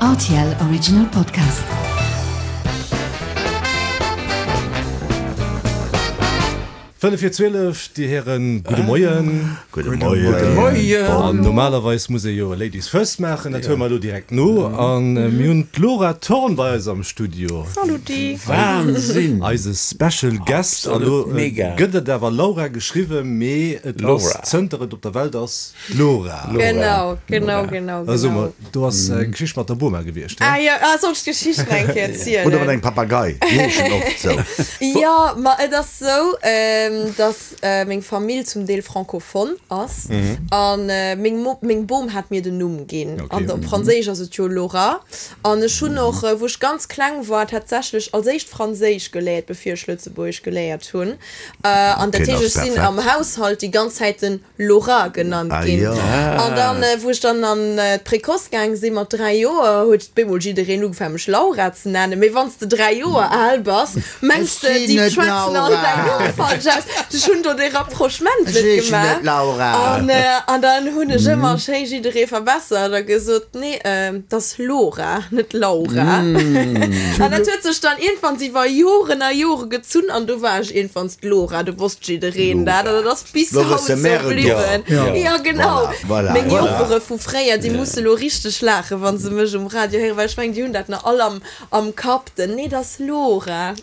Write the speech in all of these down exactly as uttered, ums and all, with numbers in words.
R T L Original Podcast. Fënnef vir zwielef, Dir Hären, gudde Moien. Gudde Moien. Moien. An normalerweis muss ee jo Ladies first maachen, dat huele mer elo direkt no. An mir hunn d'Laura Thorn bei eis am Studio. Saluti. Wahnsinn! Eise Special Guest. An elo Absolut mega. gëtt et awer Laura geschriwwen, mee et ass, Laura. zënter et op der Welt ass, d'Lora. Genau, genau, genau, Also, genau. do ass eng Geschicht mat der Boma gewiescht, Ah he? jo, ah, soll ech d'Geschicht nach eng Kéier erzielen? Oder mat engem Papagei, déi heeschen oft sou. Jo, ma et ass sou, dass meng Famill zum Deel francophone ass an meng Mo meng Bom hat mir den Numm ginn. Okay. An op Franséisch ass et jo Laura. An ech hunn och, wou ech ganz kleng war, tatsächlech als éischt Franséisch geléiert, bevir ech Lëtzebuergesch geléiert hunn. An dat Okay, heescht, dat ass ech sinn perfekt. am Haushalt déi ganz Zäit den Laura genannt Ah ginn. jo. An dann, wou ech dann an d'Précoce gaang sinn mat dräi Joer, huet bemol jiddereen ugefaangen, mech Laura ze nennen. Mee wann s de dräi Joer al bass, mengs Ech de, sinn déi net schwätzen all Laura. däin Numm falsch aus. Ech hunn do dee Rapprochement Ech net heeschen gemaach. net Laura. An, an dann hunn ech ëmmer schéi jidderee verbessert a gesot, nee, dat ass Lora, net Laura. An dat huet sech dann iergendwann iwwer Joren a Jore gezunn an du war ech iergendwann d'Lora, du wosst jiddereen dat an dat ass bis Lo haut wësse sou mär et bliwwen. och. Ja. Ja, genau. Voilà, voilà, Meng voilà. Joffere vu fréier, déi musse lo richteg laachen, wa se mech um Radio héieren, well ech mengen, déi hunn dat nach all am, am Kapp, den nee, dat ass Lora.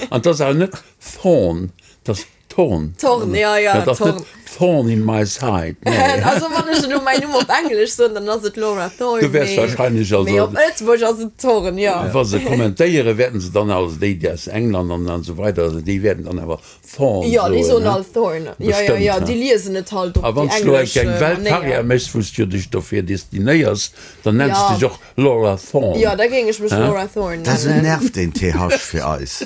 An dat ass awer net Thorn, dat ass Thorn. Thorn, ja, ja, Dat ass Thorn. net Thorn in my side, nee. Also wann ech elo mäin Numm op Englesch soen, dann ass et Laura Thorn, Du wäers mee, wahrscheinlech also. mee op Lëtzebuergesch ass et Thorn, ja. Wa se kommentéieren, wäerten se dann also déi, déi aus England an an esou weider, also déi wäerten dann awer Thorn Ja, déi soen, soen ne? all Thorn. Ja, ja, Bestëmmt, ja, ne? déi liesen et halt op A déi wann s du elo englesch eng Weltkarriär Manéier. méchs, wou s du dech dofir destinéiers, dann nenns Ja. du dech och Laura Thorn. Ja, da géing ech mech Laura Thorn Dat nennen. nervt den T H fir eis.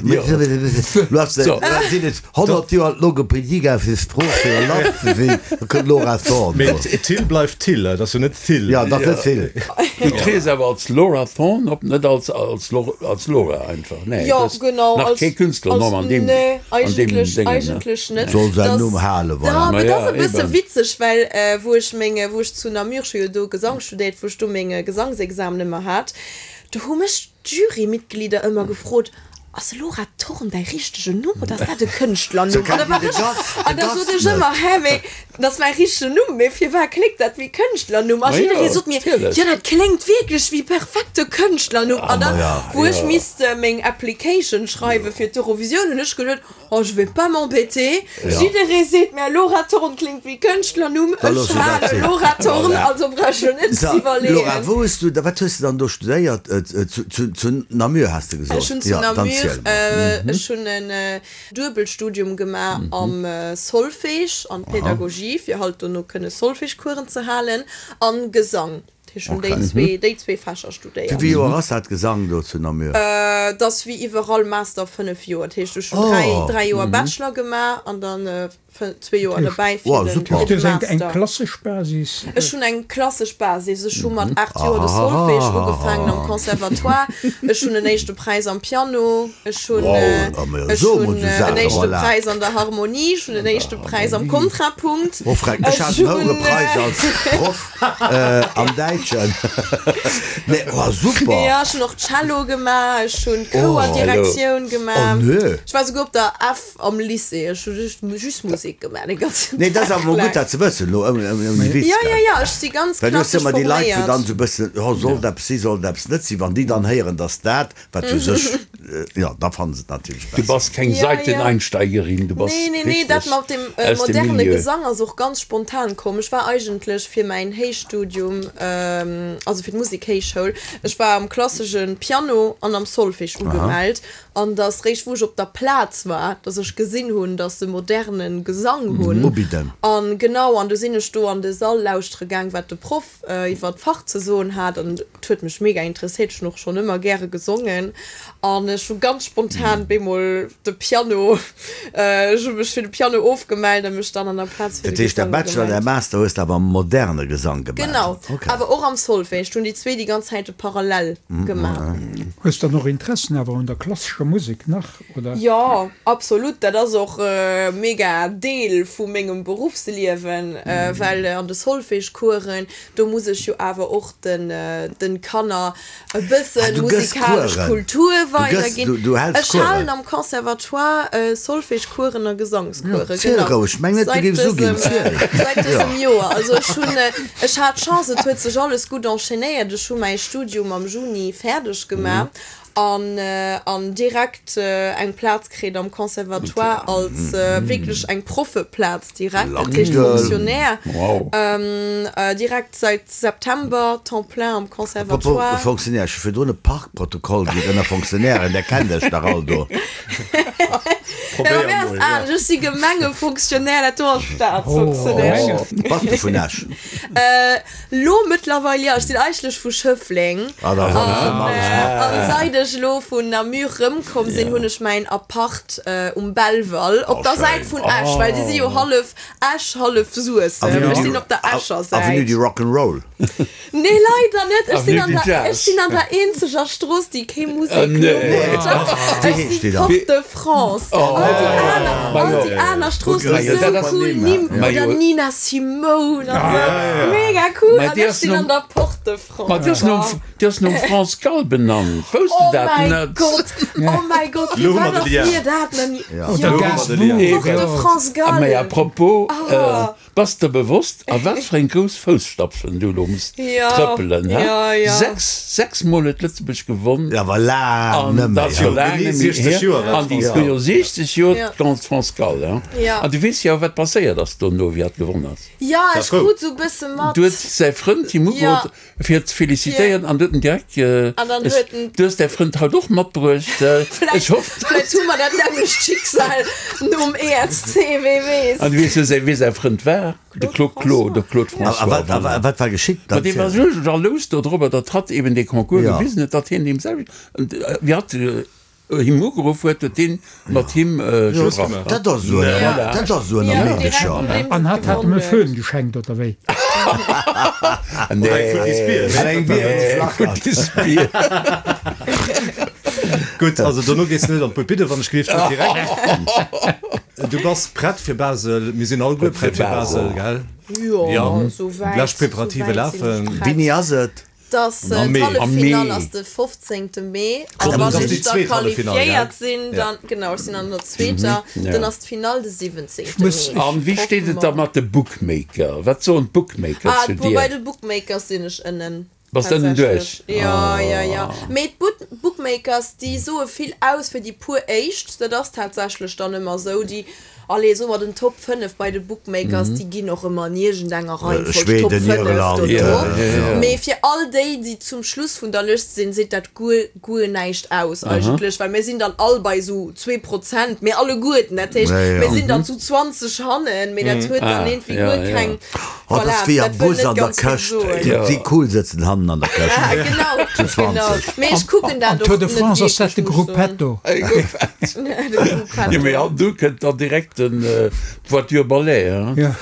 Du hast So. sinn et honnert Joer Logopädie gaang fir Sprooch fir Land ze sinn, da kënnt Laura Thorn Mee do. Till bleift Till, dat ass jo net Thill. Ja, dat ass net Thill. Du triers awer als Laura Thorn op, net als, als, Lor- als Laura einfach. Nee, Ja, dat ass genau. Nach Als, kee Künstlernumm als, an deem, nee, an deem eigentlech, Déngen, ne? eigentlech net. Soll säin Das, Numm halen, ja, voilà. Ma mee dat ass ja, e bësse eben. witzeg, well äh, wou ech meng, wou ech zu Namur, ech hu jo do Gesang studéiert, wou ech do meng Gesangsexamen ëmmer hat, do hu mech d'Jurymitglieder ëmmer gefrot, Ass Laura Thorn däi richtegen Numm oder ass dat e Kënschtlernumm? So An da kennt war déi de ech, Gast, an de da sot Gast ech net. ëmmer, hä, mee dat ass mäi richtegen Numm, mee firwat kléngt dat wéi Kënschtlernumm? A Ma jidderee jo, sot mir, natierlech. jo, dat kléngt wierklech wéi perfekte Kënschtlernumm. An ma dann, ja. wou ech Ja. misst meng Application schreiwe fir d'Eurovisioun, hunn ech geduet, oh, je vais pas m'embêter. Ja. Jidderee seet mir, Laura Thorn kléngt wéi Kënschtlernumm, Da ech looss du dat hale sinn. Laura Thorn, Voilà. also brauch ech jo net So, ze iwwerleeën. Laura, wou hues du, wat hues du dann do studéiert? Zu, zu, zu Namur has de gesot. Ech hunn zu Ja, dann Namur, ziel mol. äh, ech hunn en äh, Duebelstudium gemaach am äh, Solfège an Pädagogie, fir halt dono kënne Solfège-Coursen ze halen, an Gesang. Ech hunn déi zwee, déi zwee Fächer studéiert. Wéi vill Joer ass dat Gesang do zu Namur? Äh, dat ass wéi iwwerall Master fënnef Joer. Dat heescht, ech hunn Oh. dräi, dräi Joer Bachelor gemaach an dann äh, fë- zwee Joer derbäi fir Wow, den, super. fir Du den hues eng, eng Master. klassesch Basis. Ech hunn eng klassesch Basis. Ech hu mat aacht Joer de Solfège ugefaangen am Conservatoire. Ech hunn en éischte Präis am Piano. Ech hunn Wow, äh, ah, ma ech so hunn muss du äh, en sagen, éischte voilà. Präis an der Harmonie, ech hunn en éischte Präis am Kontrapunkt. Oh, Freck, ech Ech hat en hunn hohe Präis äh, als Proff äh, am Däitschen. Nee, oh, super. Ja, ech hunn och Cello gemaach, ech hunn Chouerdirektioun Oh, gemaach. nö. Ech war souguer op der F am Lycée. Ech hu just, just Musek gemaach de ganzen Nee, dat ass Dag awer mol laang. gutt, dat ze wëssen, lo, ouni, ouni, ouni Witz, Ja, ja, gell? ja, ech si ganz Well du hues klassesch ëmmer déi Leit, wou forméiert. dann sou bëssen, oh, soll dat si, soll dat net si, wann déi dann héieren, dass dat, wat u sech, äh, ja, da fannen se et natierlech Du besser. bass keng Ja, ja. Seiteneinsteigerin, du bass Nee, nee, nee, dat richtig mat dem äh, aus dem moderne Milieu. Gesang ass och ganz spontan komm. Ech war eigentlech fir mäin Héichstudium, ähm, also fir d'Musikhéichschoul, ech war am klassesche Piano an am Solfège ugemellt. An dass réischt, wou ech op der Plaz war, dass ech gesinn hunn, dass se moderne Gesang hunn. Ubidden. An genau, an du sinn ech do an de Sall lauschtere gaang, wat de Proff äh, iwwer d'Fach ze soen hat. An et huet mech mega interesséiert, ech hunn och schonn ëmmer gäre gesongen. An ech hu ganz spontan bemol de Piano, äh, ech hu mech fir de Piano ofgemellt an mech dann an der Plaz fir Dat de heescht, der Gesang Bachelor, der ugemellt. Master hues du awer moderne Gesang gemaach. Genau, Okay. awer och Och am Solfège. Ech hunn déi zwee déi ganz Zäite parallel gemaach. Hues dann och Interessen awer un der klassescher Musek nach, oder? Jo, absolut. Dat ass och mega Deel vu mengem Beruffsliewen, well an de Solfège-Coursen, do muss ech jo awer och den den Kanner e bësse musikalesch Kultur weiderginn. Ech halen am Conservatoire Solfège-Coursen a Gesangscoursen, genau. Säit dësem, säit dësem Joer. Also ech hunn, ech hat d'Chance, et huet sech alles gutt enchaînéiert. Ech hu mäi Studium am Juni fäerdeg gemaach an an direkt eng Plaz kritt am Conservatoire als wierklech eng Proffeplaz direkt, dat heescht Fonctionnaire, direkt säit September Temps plein am Conservatoire. Apropos Fonctionnaire, ech hu virdrun e Parkprotokoll kritt ënner Fonctionnairen, där kennt Iech dach all do. Probéier mol, ja. Ech si Gemengefonctionnaire, dat do ass Staatsfonctionnaire. Bass du vun Esch? Lo mëttlerweil jo, ech sinn eigentlech vu Schëffleng. Ah, da ass alles ëm alles mat. An seit ech lo vun Namur rëmkomm sinn, hunn ech mäin Apart um Belval, op der Säit vun Esch, well déi si jo hallef Esch, hallef Suessem. Ech sinn op der Escher Säit. Avenue du Rock'n'Roll. Nee, leider net. Ech sinn an der, ech sinn an der eenzeger Strooss, déi kee Museknumm huet. Ech sinn d'Porte de France. All déi aner, all déi aner Stroossen hu sou cool Nimm, oder Nina Simone an sou. Mega cool. An ech sinn an der Porte de France. Ma déi ass nom, déi ass nom France Gall benannt. Wousst du dat net? Oh mäi Gott, oh mäi Gott, firwat ass mir dat nach ni. Oder Gainsbourg. Porte de France Gall. Mä à propos, Bass der bewosst, a wat fir eng grouss Fousstapfen du elo muss trëppelen, he? Sechs, sechs Mol huet Lëtzebuerg gewonn. Jo, awer laang net méi, he? Laang net méi hier. An déi jo siechzeg Joer, d'Grande France Gall, he? An du weess jo, wat passéiert ass dono, wéi hatt gewonn ass. Jo, ech krut sou bësse mat. Du huet säi Frënd him ugeruff, fir ze felicitéieren, an du huet en direkt, du hues däi Frënd haut och matbruecht, ech hoffen. Vläicht hu mer dat nämmlecht Schicksal nom E S C, wee weess. An du weess jo, wee säi Frënd war, de Claude Claude, de Claude François. A wat war geschitt? Ma dee war sou jalous dodrobber, datt hatt eben dee Concours gewisen huet, datt hien deem selwecht, wéi hatt him ugeruff huet, huet deen mat him gebrach. Dat ass esou ënner, dat ass esou ënner Meedecher. An hatt hat em e Föhn geschenkt, oder wéi? Nee, Eng Bier. Futtis Bier. Gutt, also dono gees de net an d'Pulpite, wann ech gelift, net direkt. Du bass prett fir Basel, mir sinn alleguer prett fir Basel, gell? Jo, souwäit. Lescht Preparative lafen. Wéini ass et? Dass d'Halleffinall ass de fofzéngte Mee. A wann ech da qualifiéiert sinn, dann, genau, ech sinn an der zweeter, dann ass d'Finall de siwwenzéngte Mee. An wéi steet et da mat de Bookmaker? Wat soen d'Bookmaker zu dir? Bei de Bookmakers sinn ech ënnen. Bass de ënnen duerch? Jo, jo, jo. Mee d'Bookmakers, déi soe vill aus fir déi puer éischt. Dat ass tatsächlech dann ëmmer esou. Déi Allez, soe mer den Top fënnef bei de Bookmakers, déi ginn och ëmmer an iergendenger Reihenfolg Top fënnef dono. Mee fir all déi, déi zum Schluss vun der Lëscht sinn, seet dat guer, guer näischt aus eigentlech, well mir sinn dann all bei esou zwee Prozent, mir alleguerten. Dat heescht, mir sinn dann zu zwanzeg hannen, mee dat huet dann iergendwéi guer keng, Oh, dat voilà, ass wéi am dat wëll Bus net an der ganz vill Këscht. soen. Déi cool sëtzen hannen an der Këscht. Genau, Zu genau. zwanzeg. Mee ech kucken Am dat Tour och de net France ass dat wierklech, de muss ech soen. Gruppetto. De Gruppetto. Jo, mee an du kënnt dann direkt den d'Voiture Ballet, hein? Ja.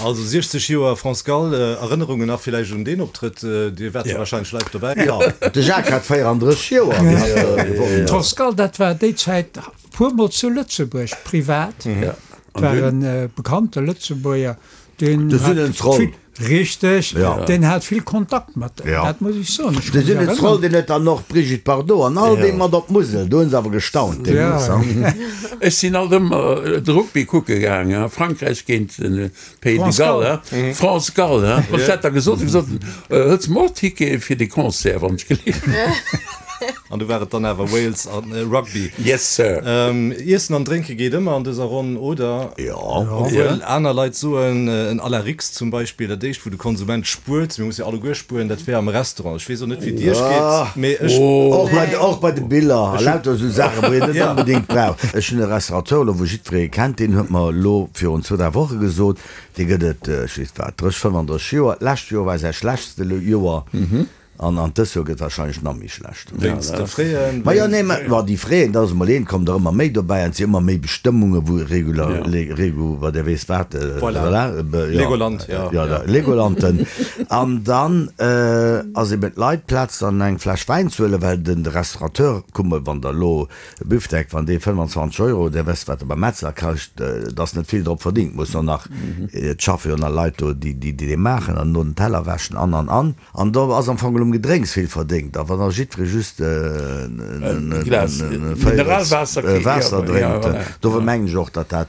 Also siechzeg Joer France Gall, Erënnerungen nach villäicht un deen Optrëtt? Dir waart jo wahrscheinlech live dobäi. Jo, de Jacques hat véierandrësseg Joer, wéi hatt gewonnen huet. D'France Gall, dat war déi Zäit puermol zu Lëtzebuerg, privat. Ja. Et war e bekannte Lëtzebuerger, deen De hat Sünnensroll. vill, richtig, Ja. deen hat vill Kontakt mat, Ja. dat muss ech soen. Ech De ka mech Sünnensroll, erënnern. deen huet dann och d'Brigitte Bardot an all déi mat op d'Musel. Do hunn se awer gestaunt deemools, Ja. hein. Ech sinn alt ëmmer de Rugby kucke gaangen, hein, Frankräich géint de Pays de France Galles, Gall. hein, France Gall, hein. Ech hat da gesot, ech gesot, hëls mer och Tickete fir de Concert, wann ech geleeft. An du war et dann awer Wales an Rugby. Yes sir. Iessen an Drénke geet ëmmer an dëser Ronn, oder? Jo. Obwuel aner Leit soen, en à la Rix zum Beispill, dat éischt wou de Konsument spuert, mir musse jo alleguer spueren, dat wär am Restaurant. Ech weess och net wéi et iech geet, mee ech. Och bei, och bei de Biller a lauter esou Saachen, wou een net onbedéngt brauch. Ech hunn e Restaurateur elo, wou jiddweree kennt, deen huet mer elo virun zwou, dräi Woche gesot, dee gëtt et, ech weess wat, drësseg, fënnfandrësseg Joer, d'lescht Joer war säi schlechtste Joer. An an dës Joer gëtt wahrscheinlech nach méi schlecht. Wéinst de Fräen? Ma jo, nee, ma ma déi Fräen, dat ass emol eent, kommen der ëmmer méi dobäi an et si ëmmer méi Bestëmmunge wou Regula, Le, Regu, wat der weess wat, Voilà. voilà, be, jo. Legoland, ja. Ja, da, Legolanten. An dann ass eben d'Leit Plaz dann eng Fläsch Wäin ze huelen, well den de Restaurateur, kuck mol, wann der elo e Büfdeck, wann dee fënnwanzwanzeg Euro, der wësst wat e beim Metzler kascht, et ass net vill drop verdingt, muss och nach, et schaffe jo nach Leit do, déi déi dee maachen an no den Teller wäschen an an an. An do ass am Fong geholl um Gedrénks vill verdéngt. A wann da jiddweree just e Glas Mineralwaasser kritt, Waasser ja, drénkt, voilà. dofir mengen ech och, datt dat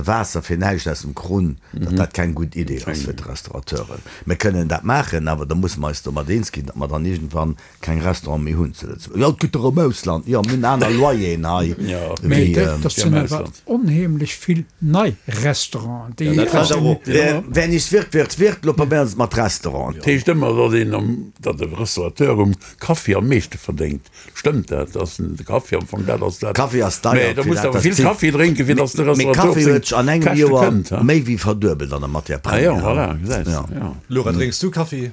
Waasser fir näischt aus dem Krunn, datt dat keng gutt Idee ass fir d'Restaurateuren. Mir kënnen dat maachen, awer da musse mer eis domat eens ginn, datt mer dann iergendwann keng Restaurante méi hunn zu Lëtzebuerg. Jo, et gëtt der am Ausland, jo, mir hunn aner Loyeren hei Mee wéi. dat sinn awer onheemlech vill nei Restauranten, déi. Dat fält awer op. Wer nicht wird, wird, wird. Lo probéieren se et mat Restauranten. Dat heescht ëmmer, datt een am, datt de Restaurateur um Kaffi am meeschte verdéngt. Stëmmt dat? Ass de Kaffi am Fong dat ass dat? Kaffi ass deier, Mee da fir muss dat de awer dat vill zitt. Kaffi drénken, fir datt de Mee Restaurateur op Kaffi seng huet sech an engem Käschte Joer kënnt, ha? méi wéi verduebelt an der Matière Ah jo, première. voilà, gesäis de, Ja. jo. Laura, drénks du Kaffi?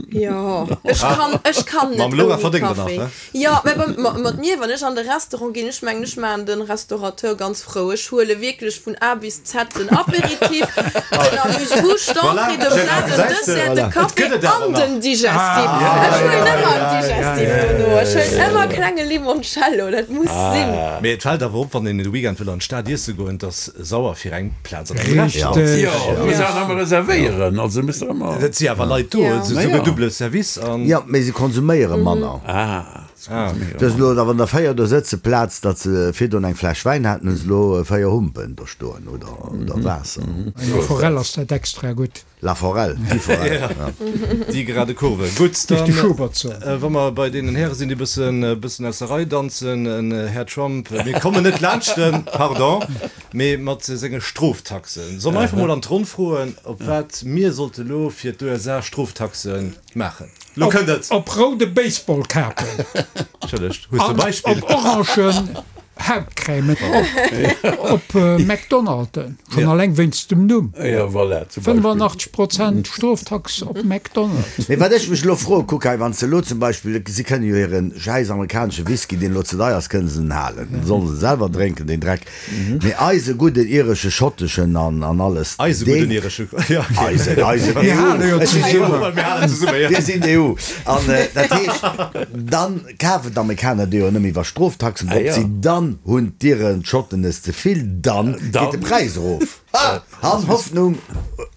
Jo, ech kann, ech kann net Mam Laura ouni verdéngt der nach, Kaffi. ne? Jo, mä bei, ma, mat mir, wann ech an de Restaurant ginn, ech mengen, ech maachen den Restaurateur ganz frou. Ech huele wierklech vun A bis Z den Apéritif, den Amuse-bouche, d'Entrée, de Plat, den Dessert, de Café an den Digestif. Ech huelen ëmmer en Digestif dono. Ech huelen ëmmer klenge Limoncello, dat muss sinn. Mee et fält awer op, wann een de Weekend wëll an d'Stad iesse goen, et ass sauer fir eng Plaz an engem Restaurant. Richteg. Jo, du muss awer ëmmer reservéieren, also muss der ëmmer. Et si awer Leit do, Ja. et si souguer double Service an. Jo, mee se konsuméiere manner. Ah, Ah. Dat ass elo, wann der véier do sëtze plaz datt se virdrun eng Fläsch Wäin haten, hunn se elo véier Humpen do stoen oder, oder Waasser. La Forelle ass dat extra gutt. La Forelle, déi Forelle, ja. Déi gerade Kurve. Gutt, Duerch de dann, Schubert soen. wa mer bei deenen Häre sinn, déi bëssen, bëssen aus der Rei danzen, en Här Trump, mir kommen net laanscht en, pardon, mee mat senge Stroftaxen. Solle mer einfach mol an d'Ronn froen, op wat mir sollte lo fir d'U S A Stroftaxe maachen? Lo kënnt et! Op roude Baseballkapen. Entschëllegt, hues de e An Beispill? op orangen Hautcrèmen. Op, op McDonalden. Schonn alleng wéinst dem Numm. Ja, voilà, zum Beispill. fënnefannachtzeg Prozent Stroftax op McDonald's. Mee wat ech mech elo froen, kuck hei, wann se elo zum Beispill, si kënnen jo hiren schäiss amerikanesche Whisky, deen elo ze deier ass, kënnen se en halen, den sollen se selwer drénken, deen Dreck. Mee eise gudden iresche, schotteschen an, an alles, Eise gudden deen, iresche, ja, okay. Eisen, eisen, Mir E U, hale jo ech sinn zesummen. Mir halen zesumme, ja. Wir sinn d'E U. An dat heescht, dann kafen d'Amerikaner déi jo nëmme iwwer Stroftaxen Ah, drop ja. sinn, dann hunn d'Iren, d'Schotten es ze vill, dann Dann geet de Präis erof. Ah, han Hoffnung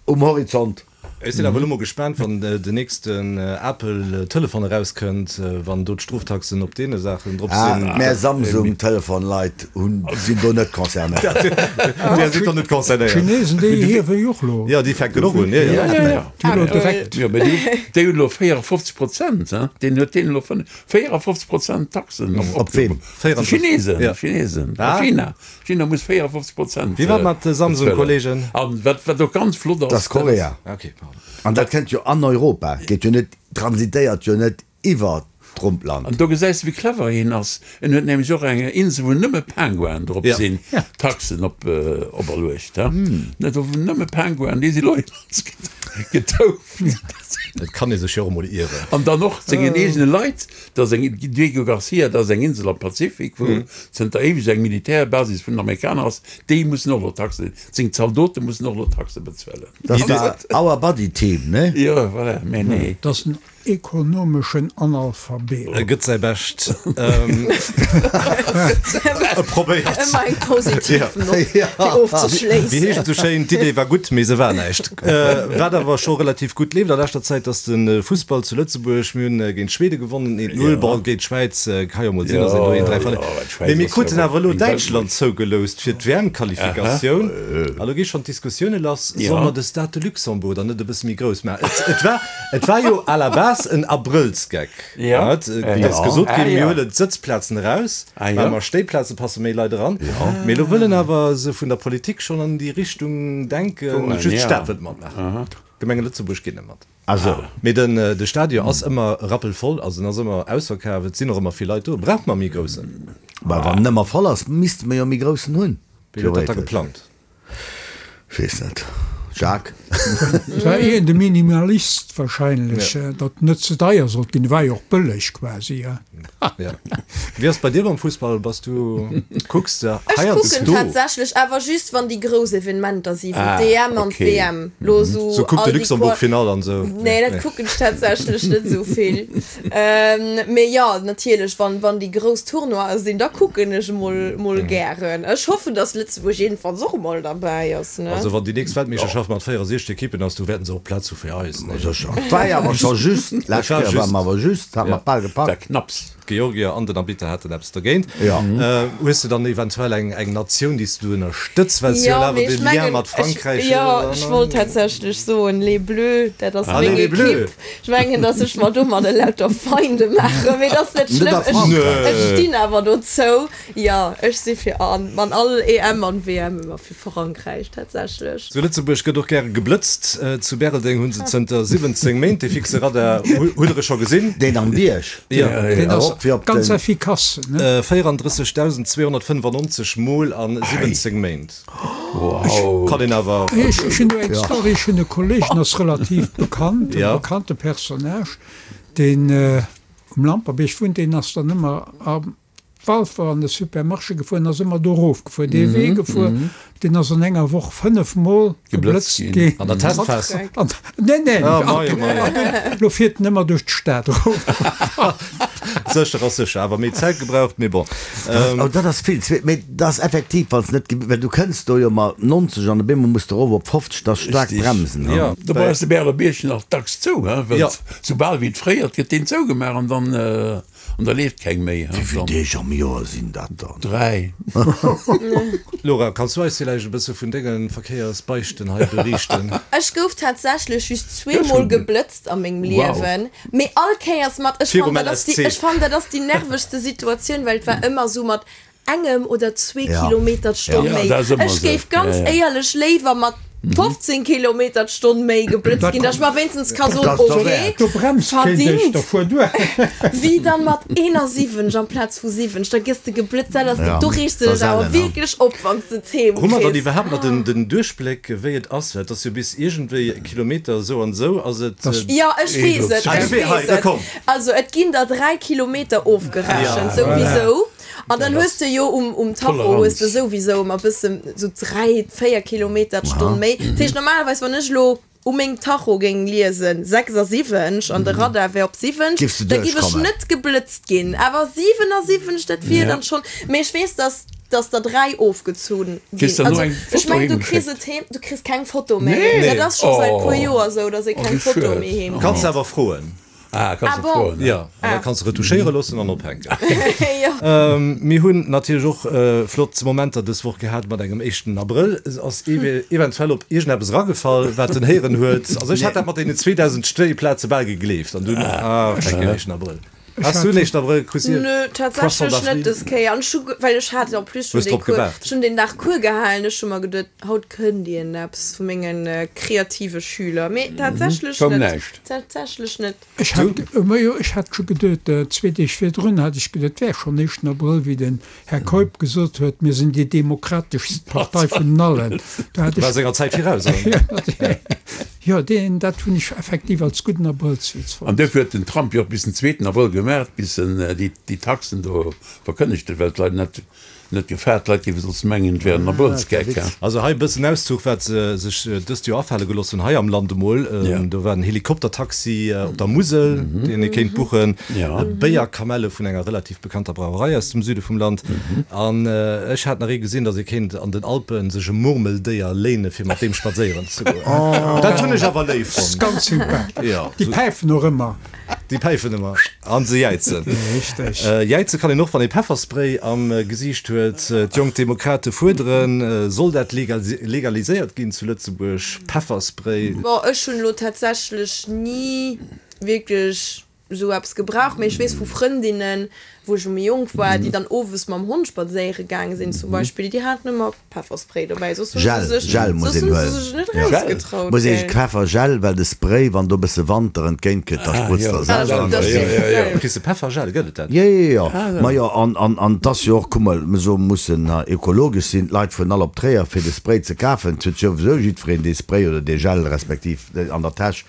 um Horizont. Ech sinn awer elo mol gespaant, wann den nächsten Apple-Telefon erauskënnt, wann do d'Stroftaxen op deene Saachen drop Ah, sinn. mär Samsung-Telefon-Leit hunn, sinn do net concernéiert. Där sidd der net concernéiert. D'Chinesen, déi hiewe jo och elo. Jo, déi fänken och un, jo, jo. Ja, ja, ja. Déi elo direkt. Jo, mä déi, déi hunn elo véierundfofzeg Prozent, hein? Deen huet deen elo fënn, véierundfofzeg Prozent Taxen op, Op ween? Chinesen, Ja. Chinesen. Ah. China. China muss véierundfofzeg Prozent. Wéi war mat Samsung-Kollegen? An wat, wat och ganz flott ass, Dat ass Korea. Okay, pardon. An dat kënnt jo an Europa, geet jo net, transitéiert jo net iwwer Trumpland. An do gesäis de, wéi clever hien ass. En huet nämlech och eng Insel, wou nëmme Penguinen drop Ja. sinn, Ja. Taxen op, operluecht. Net do wou nëmme Penguinen, déi si lo immens getouft. Et kann ee sech jo och emol ieren. An dann och sengen eegene Leit, dat ass eng, Diego Garcia, dat ass eng Insel am Pazifik, wou zënter éiweg eng Militärbasis vun den Amerikaner ass, déi mussen och lo Taxen, seng Zaldote mussen och lo Taxe bezuelen. Dat ass da Our Body Team, ne? Jo, voilà, mä nee. Dat ass en ekonomeschen Analphabet. E gëtt säi Bescht. E probéiert. Ëmmer eng positiv Nott, fir ofzeschléissen. Wéi heescht et esou schéin, d'Idee war gutt, mee se war näischt. Wat awer scho relativ gutt leeft a leschter Zäit, ass de Fussball zu Lëtzebuerg. Mir hunn géint Schwede gewonnen, eent null. Bon, géint d'Schwäiz ka jo mol sinn, dass een do een dräi verléiert. Mee mir kruten awer elo Däitschland zougeloust fir d'W M-Qualifikatioun. A lo gi schonn d'Diskussioune lass, Solle mer de Stade de Luxembourg dann net e bësse méi grouss maachen? Et war, et war jo à la base en Abrëllsgeck. Ja. Et ass gesot ginn, mir huelen d'Sëtzplazen eraus, Ah, ja. maache mer Stéiplazen, passe méi Leit eran. Mee elo wëllen awer se vun der Politik schonn an déi Richtung denken. Goen, Just ja. d'Stad wëllt matmaachen. D'Gemenge Lëtzebuerg ginn net mat. Also. Mee den, de Stadion ass ëmmer rappelvoll, also en ass ëmmer ausverkaf, et sinn och ëmmer vill Leit do. Brauche mer méi groussen? Bah, wann en ëmmer voll ass, misste mer jo méi groussen hunn. Wéi huet dat da Theoretesch. geplangt? Ech weess net. Jacques. Et war eher de Minimalist wahrscheinlech, datt net ze deier sollt ginn. War jo och bëlleg quasi. Ja. Wéi ass bei dir mam Fussball? Bass du, kucks de Ech heiansdo? kucken tatsächlech, awer just wann déi grouss Evenementer si wou Ah, d'EM an okay. d'WM lo sou So kuck all de déi Luxembourg Qual Finall an sou. Nee, dat kucken ech tatsächlech net sou vill. Mee jo, natierlech, wann wann déi grouss Tournoie sinn, da kucken ech mol mol gären. Ech hoffen, datt Lëtzebuerg jedenfalls och emol derbäi ass, ne? Also wann déi nächst Weltmeeschterschaft mat véierundsechzeg Ekippen ass, do wäerten se och Plaz hu fir eis, ne? Sécher. Et war jo awer scho just, d'lescht war Kéier just. war mer awer just, hat mer bal Da gepackt. knapps. D'Georgier an den Arbitter haten eppes dogéint. Ja. Hues de dann eventuell eng eng Natioun, déi s du ënnerstëtz, well s du jo Jo, awer mee de ech Lien mengen, mat ech, Frankräich jo, hues? ech wollt tatsächlech soen, Les Bleus, dat ass Ah, meng les Bleus. Ekipp. Ech mengen, datt ech mer domadder lauter Feinde maachen, mee dat ass net Net schlëmm. a Ech, Frankräich. ech stinn awer dozou. Jo, ech si fir an, an all E M an W M ëmmer fir Frankräich tatsächlech. Zu Lëtzebuerg gëtt och gäre geblëtzt. Zu Bäreldeng hu se zënter siwwenzéng Méint dee fixe Radar. Hutt der e scho gesinn? Deen am Bierg? Jo. Deen ass Erop fir op ganz den. efficace, ne? véierunddrëssegdausend zweehonnertfënnefannonzeg Mol a siwwenzéng Méint. Wow. Kann een awer. Ech hunn do eng Story, ech hunn e Kolleg, den ass relativ bekannt, e Ja. bekannte Personnage, deen um Lamperbiërg wunnt, deen ass dann ëmmer am Walfer an de Supermarché gefuer, ass ëmmer do erof gefuer, dee Wee gefuer, deen ass an enger Woch fënnef Mol Geblëtzt geblëtzt ginn. ginn. An der Testphas. An, nee, nee, Ah, mei, oh mei. lo fiert en ëmmer duerch d'Stad erof. Sécher ass sécher, awer méi Zäit gebraucht, mee bon. Oh, dat ass vill, mee dat ass effektiv, wann s net, well du kënns do jo mat nonzeg an op eemol muss de erof op fofzeg, dat ass staark Richtig. bremsen. Ja. Dobäi ass de Bäreler Bierg nach dacks zou, he, well Ja. soubal wéi et fréiert, gëtt deen zougemaach an dann, an da leeft keng méi, he. Wéi vill Deeg am Joer sinn dat dann? Dräi. Laura, kanns du eis villäicht e bësse vun denge Verkéiersbeichten hei beriichten? Ech gouf tatsächlech just zweemol geblëtzt a mengem Liewen, mee all Kéiers mat, ech Virum fannen, dat ass déi, L S C. ech fannen, dat ass déi nervegste Situatioun, well et war ëmmer sou mat engem oder zwee Ja. Kilometer d'Stonn Ja, méi. dat ass ëmmer Ech sou. géif ganz Ja, ja. éierlech léiwer mat fofzéng Kilometer d'Stonn méi geblëtzt ginn, dass ech mer wéinstens ka soen, Dat ass okay, derwäert. Do bremst keen dech, verdingt, da fuer duer. wéi dann mat eenasiwwenzeg amplaz vu siwwenzeg, da gëss de geblëtzt, dat ass, Ja, do reegst de dat dech ass awer ellen, ne? wierklech op, wann s de et heem Hu mer dann kriss. iwwerhaapt nach den, den Duerchbléck, wéi et ass? Well et ass jo bis iergendwéi Kilometer esou an esou ass et. Das- Jo, ech weess et, Ah, ech du wee- hei, weess da et. komm. Also et ginn der dräi Kilometer ofgerechent, Ja, souwisou. An dann hues de jo um, um Tacho hues de souwisou ëmmer bëssen sou dräi, véier Kilometer d'Stonn méi. Dat heescht normalerweis, wann ech elo u mengem Tacho géing liesen sechsasiwwenzeg an de Radar wär op siwwenzeg, Giffs de da giff ech duerchkommen. net geblëtzt ginn. Awer siwenasiwwenzeg, dat wier dann schonn. Mee ech weess, dass, dass der dräi ofgezunn Kriss ginn. dann no Also eng ech Foto meng, du heem kriss geschéckt? et heem, du kriss keng Foto méi. Nee. Dat ass scho säit Oh. puer Joer sou, dass ee Oh, keng wéi Foto schued. méi heem Kanns kritt. awer froen. Ah, kanns Ah du bon. froen, ne? Ja, an da Ah. kanns du retouchéiere loossen an ophänken. Jo. Ähm, mir hunn natierlech och äh, flott Momenter dës Woch gehat mat engem éischten Abrëll. Es ass ewe eventuell op iergendeppes eragefall, wat en héieren huet. Also ech hat dat mat deenen zweedausend Stéiplaze bal gegleeft. An dunn, ah, fenke den éischten Abrëll. Ech Has du hat den éischten Abrëll Crucier? Nö, Poisson tatsächlech d'avril? net dës Kéier. An ech hu, well ech hat en plus schon Hues dee drop Cours, gewaart? schon den Dag Cours gehalen. Ech hu mer geduet, haut kënnt iergendeppes vu mengen kreative Schüler. Mee tatsächlech Koum net. näischt. Tatsächlech net. Ech hat, ma jo, ech hat scho geduet, zwee Deeg virdrun hat ech geduet, et wär schonn éischten Abrëll, wéi den Här Keup gesot huet, mir sinn déi demokrateschst Partei vun allen. Do hat War ech, senger Zäit viraus, oder? jo, deen, dat hunn ech effektiv als gudden Abrëllswitz An fonnt. duerfir huet den Trump jo och bis den zweeten Abrëll gemaach, bis en déi, déi Taxen do verkënnegt huet, well d'Leit net, net gefaart, d'Leit géife soss mengen, et wär en Abrëllsgeck, ja. Also hei e bëssen Auszuch, wat se sech dëst Joer afale gelooss hunn hei am Land emol. Ja. Do war en Helikoptertaxi op der Musel, deen ee kéint buchen, Ja. Béierkamelle vun enger relativ bekannter Brauerei aus dem Süde vum Land. An ech hat nach ee gesinn, datt ee kéint an den Alpen sech e Murmeldéier léine fir mat deem spadséieren ze goen. Dat hunn ech awer léif Das ist fonnt. ganz sympathesch. Ja. Déi päifen och ëmmer. Déi päifen ëmmer an se jäizen. Richteg. Jäize kann een och, wann ee Pefferspray am Gesiicht huet. D'Jonk Demokrate fuerderen, soll dat legaliséiert ginn zu Lëtzebuerg, Pefferspray? Bon, ech hunn elo tatsächlech ni wierklech esou eppes gebraucht, mee ech weess vu Frëndinnen, wou ech méi jonk war, déi dann owes mam Hond spadséiere gaange sinn zum Beispill, déi haten ëmmer Pefferspray dobäi, soss hu se Gel, sech, Gel muss soss een hu se huelen. sech net Ja. erausgetraut, Muss ee gell. Peffergel, well de Spray, wann do e bësse Wand der entgéint kënnt, da Ah, sprutzt jo, der Ah, selwer. dat ass jo, jo, jo. Kriss de Peffergel, gëtt et dat? Jo, jo, jo. Ma jo, an, an, an 't ass jo och, kuck mol, mir soe mussen ökologesch sinn, d'Leit fueren all op Tréier fir de Spray ze kafen, 't huet souwisou jiddwereen dee Spray oder dee Gel respektiv an der Täsch.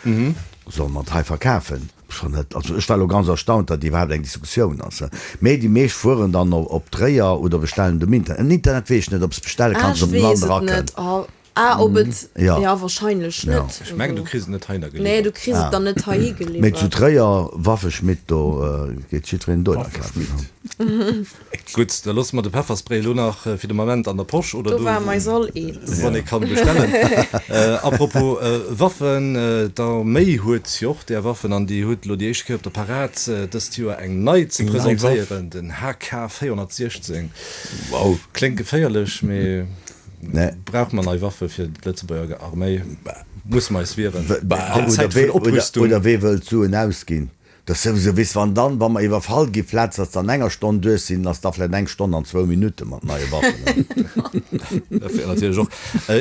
Solle mer et hei verkafen? Schon net. Also ech war elo ganz erstaunt, datt iwwerhaapt eng Diskussioun ass. Mee déi meescht fueren dann op Tréier oder bestellen et um Internet. Um Internet weess ech net, ob s bestelle Ah, kanns, ech ob en weess dann et erakënnt. net. Oh, ah, ob et, Ja. ja, wahrscheinlech Ja. net. Ech mengen, du kriss et net heihinner Nee, du geliwwert. kriss et dann net heihi Mee zu geliwwert. Tréier, Waffeschmitt, do geet jiddwereen dohinner kafen. Gutt, da loosse mer de Pefferspray elo nach fir de Moment an der Posch oder Do do, ware mer eis all eens. wann ee kann bestellen. Apropos Waffen, d'Arméi huet jo och där Waffen an déi huet elo déi éischt Kéier op der Parad dëst Joer eng nei ze Eng nei Waff. presentéieren, den H K véierhonnertsiechzéng. Wow. Kléngt geféierlech, mee Nee. brauche mer nei Waffe fir d'Lëtzebuerger Arméi? Musse mer eis wieren an Oder Zäit wee, vun oder, Oprüstung? oder wee wëllt Suen ausginn? Dat ass souwisou, weess, wann dann, wa mer iwwerfall gi vläicht dass dann enger Stonn duerch sinn, ass da vläicht eng Stonn an zwou Minutte mat neie Waffen. Dat wär natierlech och.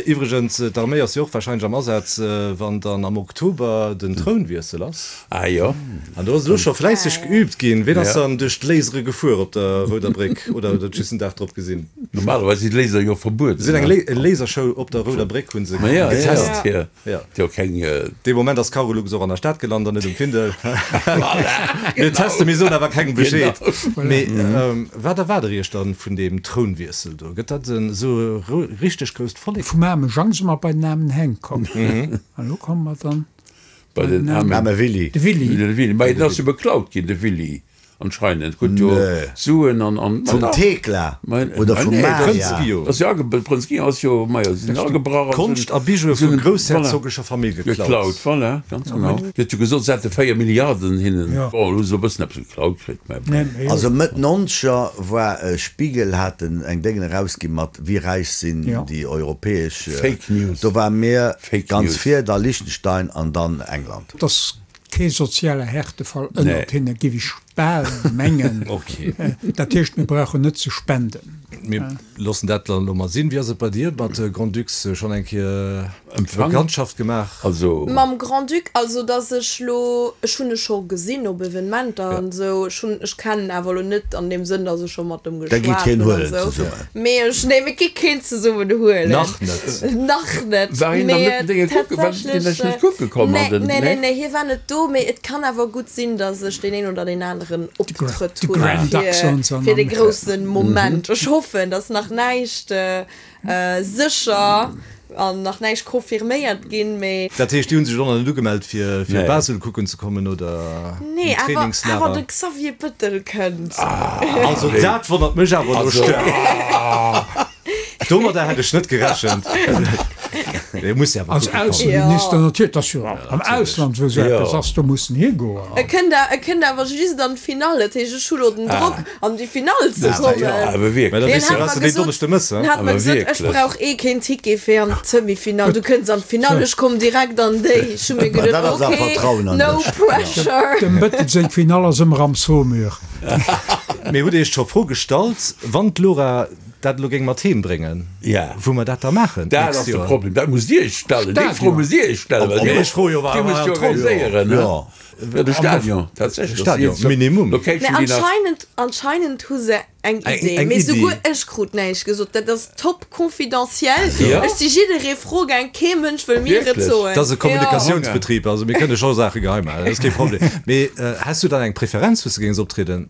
Iwwregens, d'Arméi ass jo och warscheinlech am Asaz, wann dann am Oktober den Trounwiessel ass. Ah jo. An do ass elo scho fläisseg geüübt ginn. Ween ass Ja. dann duerch d'Lasere gefuer op der Rouder Bréck oder huet dat just den Dag drop gesinn? Normalerweis si Laser jo verbueden. Si hunn eng Lasershow op der Rouder Bréck hu se Ma ja, ja, getest. ja. Ja. Jo, keng. Dee Moment ass Cargolux och an der Stad gelant an net um Findel. Mir testen, mir soen awer kengem Bescheed. Mee wat erwaart der iech dann vun deem Trounwiessel do? Gëtt dat en esou e richteg grousst Vollek? Vum aarme Jang si mer bei den aarmen Heng komm. An elo komme mer dann Bei den aarmen Aarme Willy. De Willy. De Willy. Mä en ass jo beklaut ginn, de Willy. Anscheinend. Krut jo Nee. Suen an, an. Vum Thekla oder vum Maria? Prënz Guillaume. Ass jo age, Prënz Guillaume ass jo, majo, si sinn agebrach a sinn. Konscht a Bijoue vu groussherzogescher Famill geklaut. Geklaut, voilà, ganz genau. Déi huet jo gesot, se hätte véier Milliarden hinnen. Ja. Bon, elo hu se e bëssen eppes geklaut kritt, mä bon. Nee, mee Also Mëtt Nonzeger war Spiegel haten eng Déngen erausgi mat wéi räich sinn Ja. déi europäesch. Fake News. Do ware mir Fake ganz News. vir, da Liechtenstein an dann England. Et ass kee soziale Härtefall ënnert Nee. hinne, géif ech bal mengen. Okay. Dat heescht, mir brauchen net ze spenden. Mir loossen dat dann elo mol sinn. Wéi ass et bei dir mat Grand-Ducs? Schonn eng Kéier Empfang? Bekanntschaft gemaach? Also. Mam Grand-Duc, also dass ech lo, ech hunn e scho gesinn op Evenementer an esou, ech hunn, ech kennen awer lo net an deem Sënn, dass ech scho mat em Da gitt geschwat keen hunn an huelen esou. zesummen. Mee ech, nee, mir gi keen zesummen huelen. Nach net. Nach net. War hien dann Mee net den Dénge kucken? War deen tatsächlech, lech net kucke komm nee, an den, nee, nee, nee? nee, hie war net do, mee et kann awer gutt sinn, dass ech deen een oder deen aneren Optrëtt De hunn Grand fir, Duc soen se an fir de Amerika. groussen Moment. Ech hoffen, dass nach näischt sécher an nach näischt confirméiert ginn, mee. Dat heescht, déi hu sech och nach net ugemellt fir fir Nee. Basel kucken ze kommen oder Nee, en awer, awer Trainingslager? de Xavier Bëttel kënnt. Also dat wonnert mech awer elo Also. staark. Domadder hätt ech net gerechent. Dee muss jo awer Als kucke kommen. Ausseminister natierlech, dat ass jo am Ausland, wou esou Jo. eppes ass, do muss en higoen. E kënnt a, e kënnt awer just an d'Finall, dat heescht, ech hu lo den Drock, an déi Finall ze kommen. Jo, awer Mä wierklech. da Hien weess du, hat was mer du deen gesot, Donneschde mëss, hien hat mer Awer gesot, ech wierklech. brauch eh keen Ticket fir an d'Semifinall, du kënns an d'Finall, ech komm direkt an déi. Ech hu mir Ma geduet, dat ass awer okay, Vertrauen an no dech. pressure. Dem Bëttel seng Finall ass ëmmer am Saumur. Mee hutt Dir Iech scho d'Fro gestallt, wann d'Laura dat elo géing mat heem bréngen, Ja. wou mer dat da maachen Dat d'nächst ass de Joer? Problem, dat musst Dir Iech stellen. Déi Fro Stadion. musst Dir Iech stellen, well Op Dir mech froe jo, war Dir musst war jo am Troll. organiséieren, ne? Ja. Ja, de Stadion, tatsächlech. Stadion, Minimum. Mee Location, déi nach. anscheinend, anscheinend hu se eng Eng- Idee. eng Mee Iddi. souguer ech krut näischt gesot. Dat ass top confidentiel. Ja. Ech si jidderee fro gaang, kee Mënsch wëll mir et Wierklech? soen. Dat ass e Ja. Kommunikatiounsbetrib, also mir kënne scho Saache geheim halen, dat ass kee Problem. Mee häss du dann eng Preferenz, wou s de géings optrieden?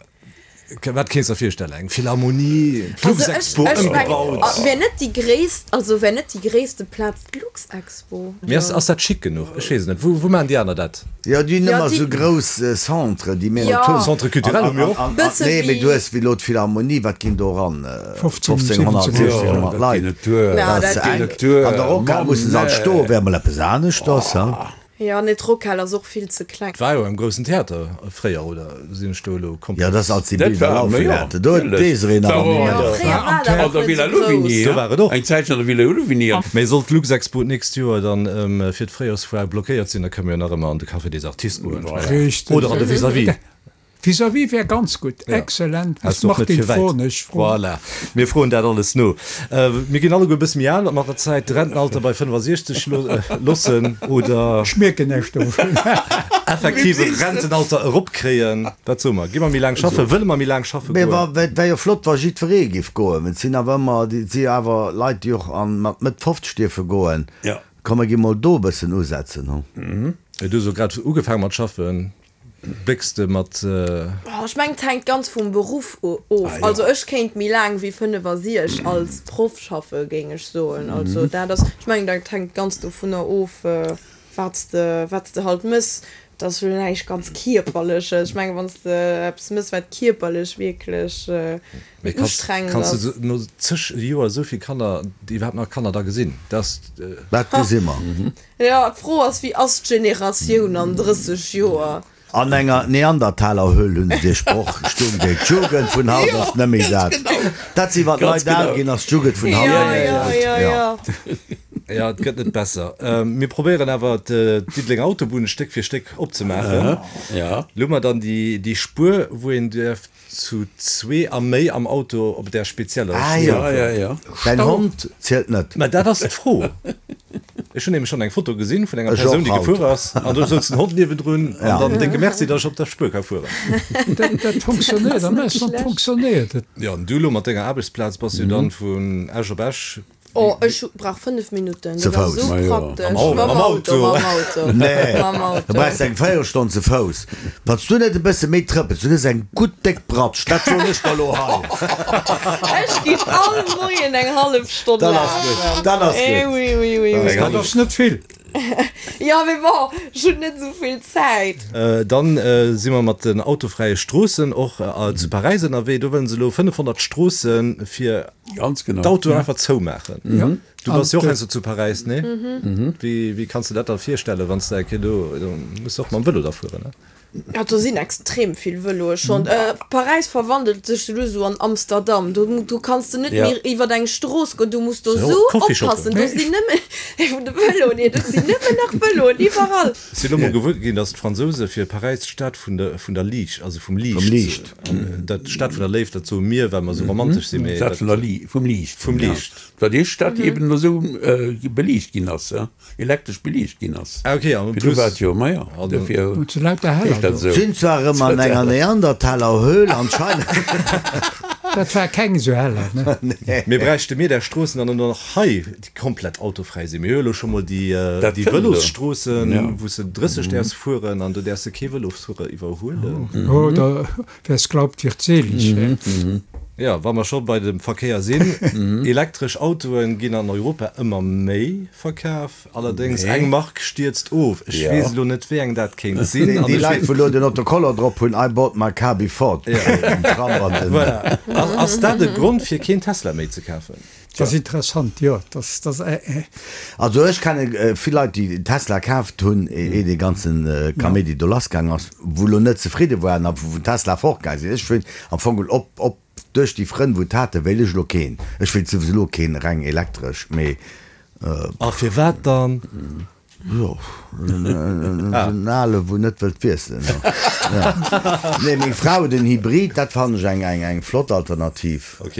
Wat kéints der virstellen? Eng Philharmonie, d'Luxexpo ëmgebaut? Wär net déi gréisst, also wär net déi gréisste Plaz d'Luxexpo? Mee ass, ass dat chic genuch? Ech weess et net. Wou, wou maachen déi aner dat? Jo, déi hunn Ja, ëmmer déi. esou grouss Centre, déi méi Ja. en Tour. Centre culturel hu mir och. Bësse Nee, mee wéi. du hues wéi elo d'Philharmonie, wat ginn do eran? fofzéng, fofzénghonnert, siwwenzénghonnert. siechzehnhonnert Dat Leit. ginn net duer. Ja, Dat ass dat ze ginn enk. net duer. An der Rockhal Mann, musse se alt nee. stoen, wär mol eppes aneschters, ha? Jo, nee, d'Rockhal ass och vill ze kleng. War jo am groussen Theater fréier, oder sinn ech do elo komplett? Jo, dat ass als déi Dat Bilder war, laufen jo, haten. Do huet natierlech. d'Desirée nach War och animéiert. an Jo, der, fréier war dat an och der net Villa sou grouss. Louvigny, Do war et och. eng Zäitchen an der Villa Louvigny. Mee sollt d'Luxexpo d'nächst Joer dann fir d'Fréijorsfoire blockéiert sinn, da kënne mir jo nach ëmmer an de Café des Artistes goen. Voilà. Richtig. Oder an de Vis-à-vis. Vis-à-vis wär ganz gutt, excellent. Ass och net Martin fir wäit. froen ech froen. Voilà, mir froen dat alles no. Mir ginn alleguer e bësse méi al mat der Zäit. Rentenalter bei fënnefasiechzeg loossen oder. Ech mierken näischt dovun. Effektiv e Rentenalter eropkréien. Wat soe mer? Gi mer méi laang schaffen? Wëlle mer méi laang schaffe Mee goen? et wär jo flott, wa jiddweree géif goen. Et sinn awer ëmmer, et si awer Leit, déi och an mat Mëtt fofzeg dierfe goen. Ja. Komm, mer gi mol do e bëssen usetzen, hu. Du hues jo grad ugefaange mat schaffen. Blécks de mat. Oh, ech mengen, et hänkt ganz vum Beruff of. Also ech kéint méi laang wéi fënnefasiech als Proff schaffe géing ech soen. Also dat ass, ech mengen, dat hänkt ganz dovunner of, wat s de, wat s de halt mëss. Dat ass jo näischt ganz Kierperleches. Ech mengen, wann s de eppes mëss, wat kierperlech wierklech ustrengend Kanns ass. de no zeg Joer esou vill Kanner, iwwerhaapt nach Kanner da gesinn? Dat. Dat gesi mer. Jo, d'Fro ass, wéi ass d'Generatioun an drësseg Joer? An enger Neandertalerhöhl hunn se dee Sproch stoung géint. D'Jugend vun haut ass net méi dat. Dat si wann d'Leit al ginn, ass d'Jugend vun haut net méi dat. Jo, jo, jo. Jo, et gëtt net besser. Mir probéieren awer d'Diddelenger Autobunn Stéck fir Stéck opzemaachen. Elo hu mer dann déi Spuer, wou een däerf zu zwee a méi am Auto op där spezieller Ah Spuer jo, fueren. Däin Hond zielt net. Mä dat ass d'Fro. Ech hunn nämlech schonn eng Foto gesinn vun enger Ech Persoun, och déi haut. gefuer ass, an do souz den Hond niewendrun an Ja. dann décke Merci, datt ech op der Spuer ka fueren. Dat, dat funktionéiert, am Ausland funktionéiert et. Jo, an du elo mat denger Aarbechtsplaz bass jo dann vun Esch op Esch. Oh, ech brauch fënnef Minutten, Ze dat ass Fouss. esou Ma jo. praktesch. Am Au- Mam am Auto, Auto. mam Auto. Nee, Mam da Auto. brauchs de eng Véierelstonn ze Fouss. Wann s du net e bësse méi trëppels, du kriss eng gutt déck Bratsch, dat soen ech der elo hei. Ech ginn all Moien eng hallef Stonn Dat ass gutt, lafen. dat ass Eh gutt. oui, oui, oui, oui. Eng Dat ass net vill. Ja, mee bon, ech hunn net esou vill Zäit. Dann si mer mat den autofräie Stroossen och zu Paräis ënnerwee. Do wëllen se elo fënnefhonnert Stroosse fir d'Autoen einfach zoumaachen. Du bass jo och heiansdo zu Paräis, nee? Wéi, wéi kanns de dat da virstellen, wann s de eng Kéier do, do muss de och mam Vëlo da fueren, ne? Ja, do sinn extrem vill Vëloe schonn. Paräis verwandelt sech elo esou an Amsterdam. Do, do kanns de net méi iwwer eng Strooss goen, du muss do esou oppassen. Do sinn nëmmen, vun de Vëloen hier, do sinn nëmmen nach Vëloen iwwerall. Ech sinn elo mol gewuer ginn, datt d'Fransouse fir Paräis d'Stad vun der, vun der Liicht, also vum Liicht, Vum Liicht. dat d'Stad vun der Léift, dat soe mir, well mer esou romantesch sinn, mee D'Stad vun der Li, vum Liicht. Vum Liicht. War déi Stad, déi eben esou beliicht ginn ass, elektresch beliicht ginn ass. Ah, okay, an Virdu war et jo, ma jo, dofir heescht dat esou. Sinn zwar erëm an enger Neandertalerhöhl anscheinend. Dat war keng esou heller, ne? Mee bräichte mir där Stroossen dann och nach hei, déi komplett autofräi sinn? Mir hu elo scho mol déi, Dat déi kënnt elo. Vëlosstroossen, Ja. wou s de drësseg däerfs fueren an do däerfs de kee Vëlosfuerer iwwerhuelen. Oh, da, wer's glaubt, wird selig, he? Jo, wa mer scho bei dem Verkéier sinn, Elektresch Autoen ginn an Europa ëmmer méi verkaf, allerdéngs eng Mark stierzt of. Ech weess elo net, wéi eng dat kéint sinn. Déi Leit, wou elo den Autocollant drop hunn, I bought my car before den Tram an den. Voilà. Ass dat e Grond, fir keen Tesla méi ze kafen? Dat ass interessant, jo. Dat, dat, Also ech kenne vill Leit, déi Tesla kaaft hunn, ee dee ganzen Kaméidi do lassgaang ass, wou elo net zefridde waren a wou vun Tesla fortgaang sinn. Ech wëll am Fong geholl op, op duerch déi Frënn, wou et haten, wéilt ech elo keen. Ech wéilt souwisou elo keen reng elektresch, mee. A firwat dann? Jo, en ale wou net wëllt wiesselen. Nee, meng Fra huet en Hybrid, dat fannen ech eng, eng, eng flott Alternativ. Ok.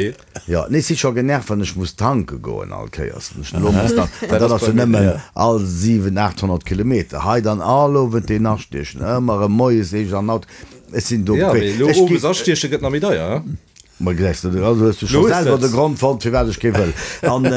Jo, nee, ech si scho genervt, wann ech muss tanke goen all Kéiers. Wann ech elo muss tanken, an dat ass jo nëmmen all siwen, aathonnert Kilometer. Hei dann all Owend deen astiechen, ëmmer erëm moies, éischt an Auto. Ech sinn do. Ja, mee elo Ech owes gi. astieche gëtt nach méi deier, he? Ma gesäis de, also hues du scho Lo hues selwer de de Grond fonnt, firwat ech kee wëll. An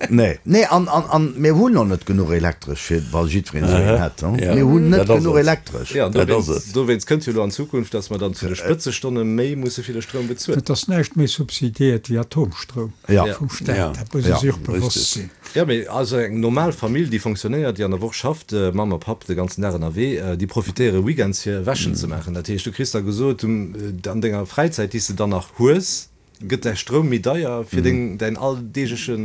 nee, nee, an, an, an mir hunn och net genuch Elektresch, fir wa jiddwereen esou een hätt. Ja, Mir hunn net dat ass genuch et. Elektresch. Ja, an Dat ass dowéinst, et. dowéinst kënnt jo elo an Zukunft, datt mer dann zu de Spëtzestonne méi musse fir de Stroum bezuelen. Et ass näischt méi subsidiéiert wéi Atomstroum Ja. vum Staat. Ja. Dat muss ee Ja, sech och bewosst richtig. sinn. Ja, mee also eng normal Famill, déi fonctionnéiert, déi an der Woch schafft, Mamm a Papp de ganzen Dag ënnerwee, déi profitéiere weekends fir Wäschen ze maachen. Dat heescht, du kriss da gesot, an denger Fräizäit, déi s de dann nach hues, gëtt däi Stroum méi deier, fir deng, däin alldeegleche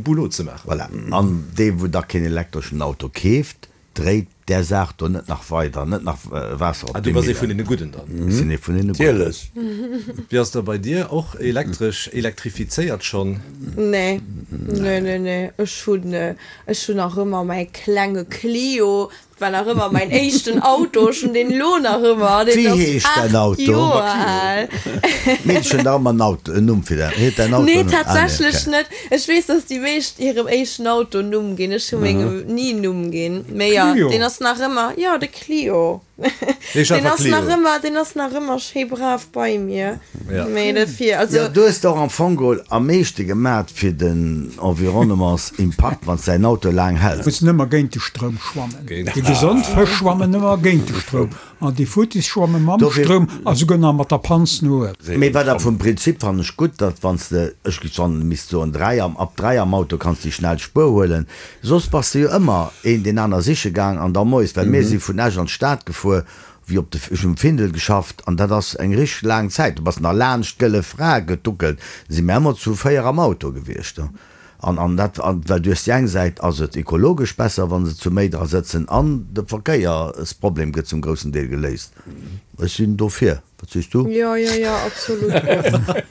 Boulot ze maachen. Voilà. An dee wou da keen elektreschen Auto keeft, Dréit där Saach do net nach weider, net nach Waasser op Ah, du déi bass ee Millen. vun deene Gudden dann. Ech sinn ee vun deene Gudden. Natierlech. Wéi ass da bei dir? Och elektresch, elektrifizéiert schonn? Nee, nee, nee, nee. Ech hunn, ech hunn nach ëmmer mäi klenge Clio. Dat war nach ëmmer mäin éischten Auto. Ech hunn deen elo nach ëmmer. Deen Wéi ass heescht däin aacht Auto? Joer al. D'Meedchen hunn dach ëmmer en Auto, en Numm fir däin, huet däin Auto Nee, en Numm? Ah, nee, tatsächlech okay. net. Ech weess, dass déi meescht hirem éischten Auto en Numm ginn. Ech hu mengem ni en Numm ginn. Mee jo, Clio. deen ass nach ëmmer, jo, de Clio. Heescht Deen einfach ass nach Clio. ëmmer, deen ass nach ëmmer schéi brav bei mir. Ja. Mee dofir, also. Jo, du hues der och am Fong geholl am meeschte gemat fir den Environnementsimpakt, wann s däin Auto laang häls. Mussen ëmmer géint de Stroum schwammen. Géint Déi gesond Fësch schwammen ëmmer géint de Stroum an déi futtis schwamme mam Dofir. Stroum a souguer nach mat der Panz no uewen. Mee wat awer vum Prinzip fannen ech gutt, datt wann s de, ech géif schonn misst soen dräi am, ab dräi am Auto kanns déi schnell Spuer huelen, soss bass de jo ëmmer een deen aner siche gaang an da moies, well mir si vun Esch an d'Stad gefuer, wéi op de, ech hunn um Findel geschafft an dat ass eng richteg laang Zäit, du bass nach laanscht d'Gëlle Fra geduckelt, si mir ëmmer zu véier am Auto gewiescht. An, an dat, an, well du hues déi eng Säit ass et ekologesch besser, wa se zu méi dra sëtzen an de Verkéiersproblem gëtt zum groussen Deel geléist. Ech sinn dofir. Wat sees du? Jo, jo, jo, absolut och.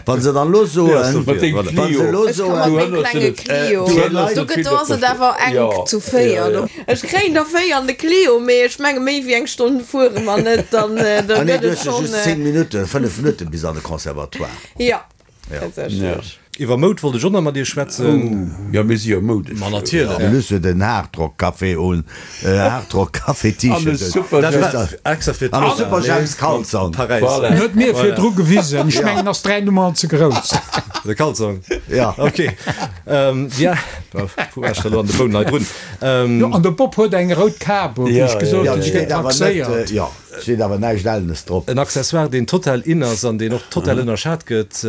Wa se dann elo soen, Mat dengem wa se Clio. elo Ech ka mat soen, mengem klenge Clio. Du hënnerst Do net gëtt, vill do ass et dofir. awer enk Jo, zu jo, véier. jo. Ech kréien der véier an de Clio, mee ech menge méi wéi eng Stonn fuere mer net, dann, da ah nee, gëtt du et hues jo schonn. just zéng Minutten, fënnef Minutten bis an de Conservatoire. Jo, Ja. tatsächlech. Iwwer Moud wollt ech och nach mat dir schwätzen. Jo, mir si jo moudesch. Ma natierlech. De Luss huet en Hardrock-Café un, Hardrock Café An e T-Shirt. Super Dat James. war extra fir An e Super James Kalzong. Paräis. Voilà. En huet mir virdru gewisen, ech mengen ass dräi Nummern ze grouss. De Kalzong. Ja. Ok. Ähm, ja, wou war ech da lo an de Boun nei drun? Ähm, Jo, an de Bob huet eng rout Kap un, wéi Ja, ech gesot Ja, hunn, et déi steet gëtt awer net, taxéiert. jo, steet awer näischt Ellenes drop. En Accessoire, deen total in ass an deen och total ënnerschat gëtt,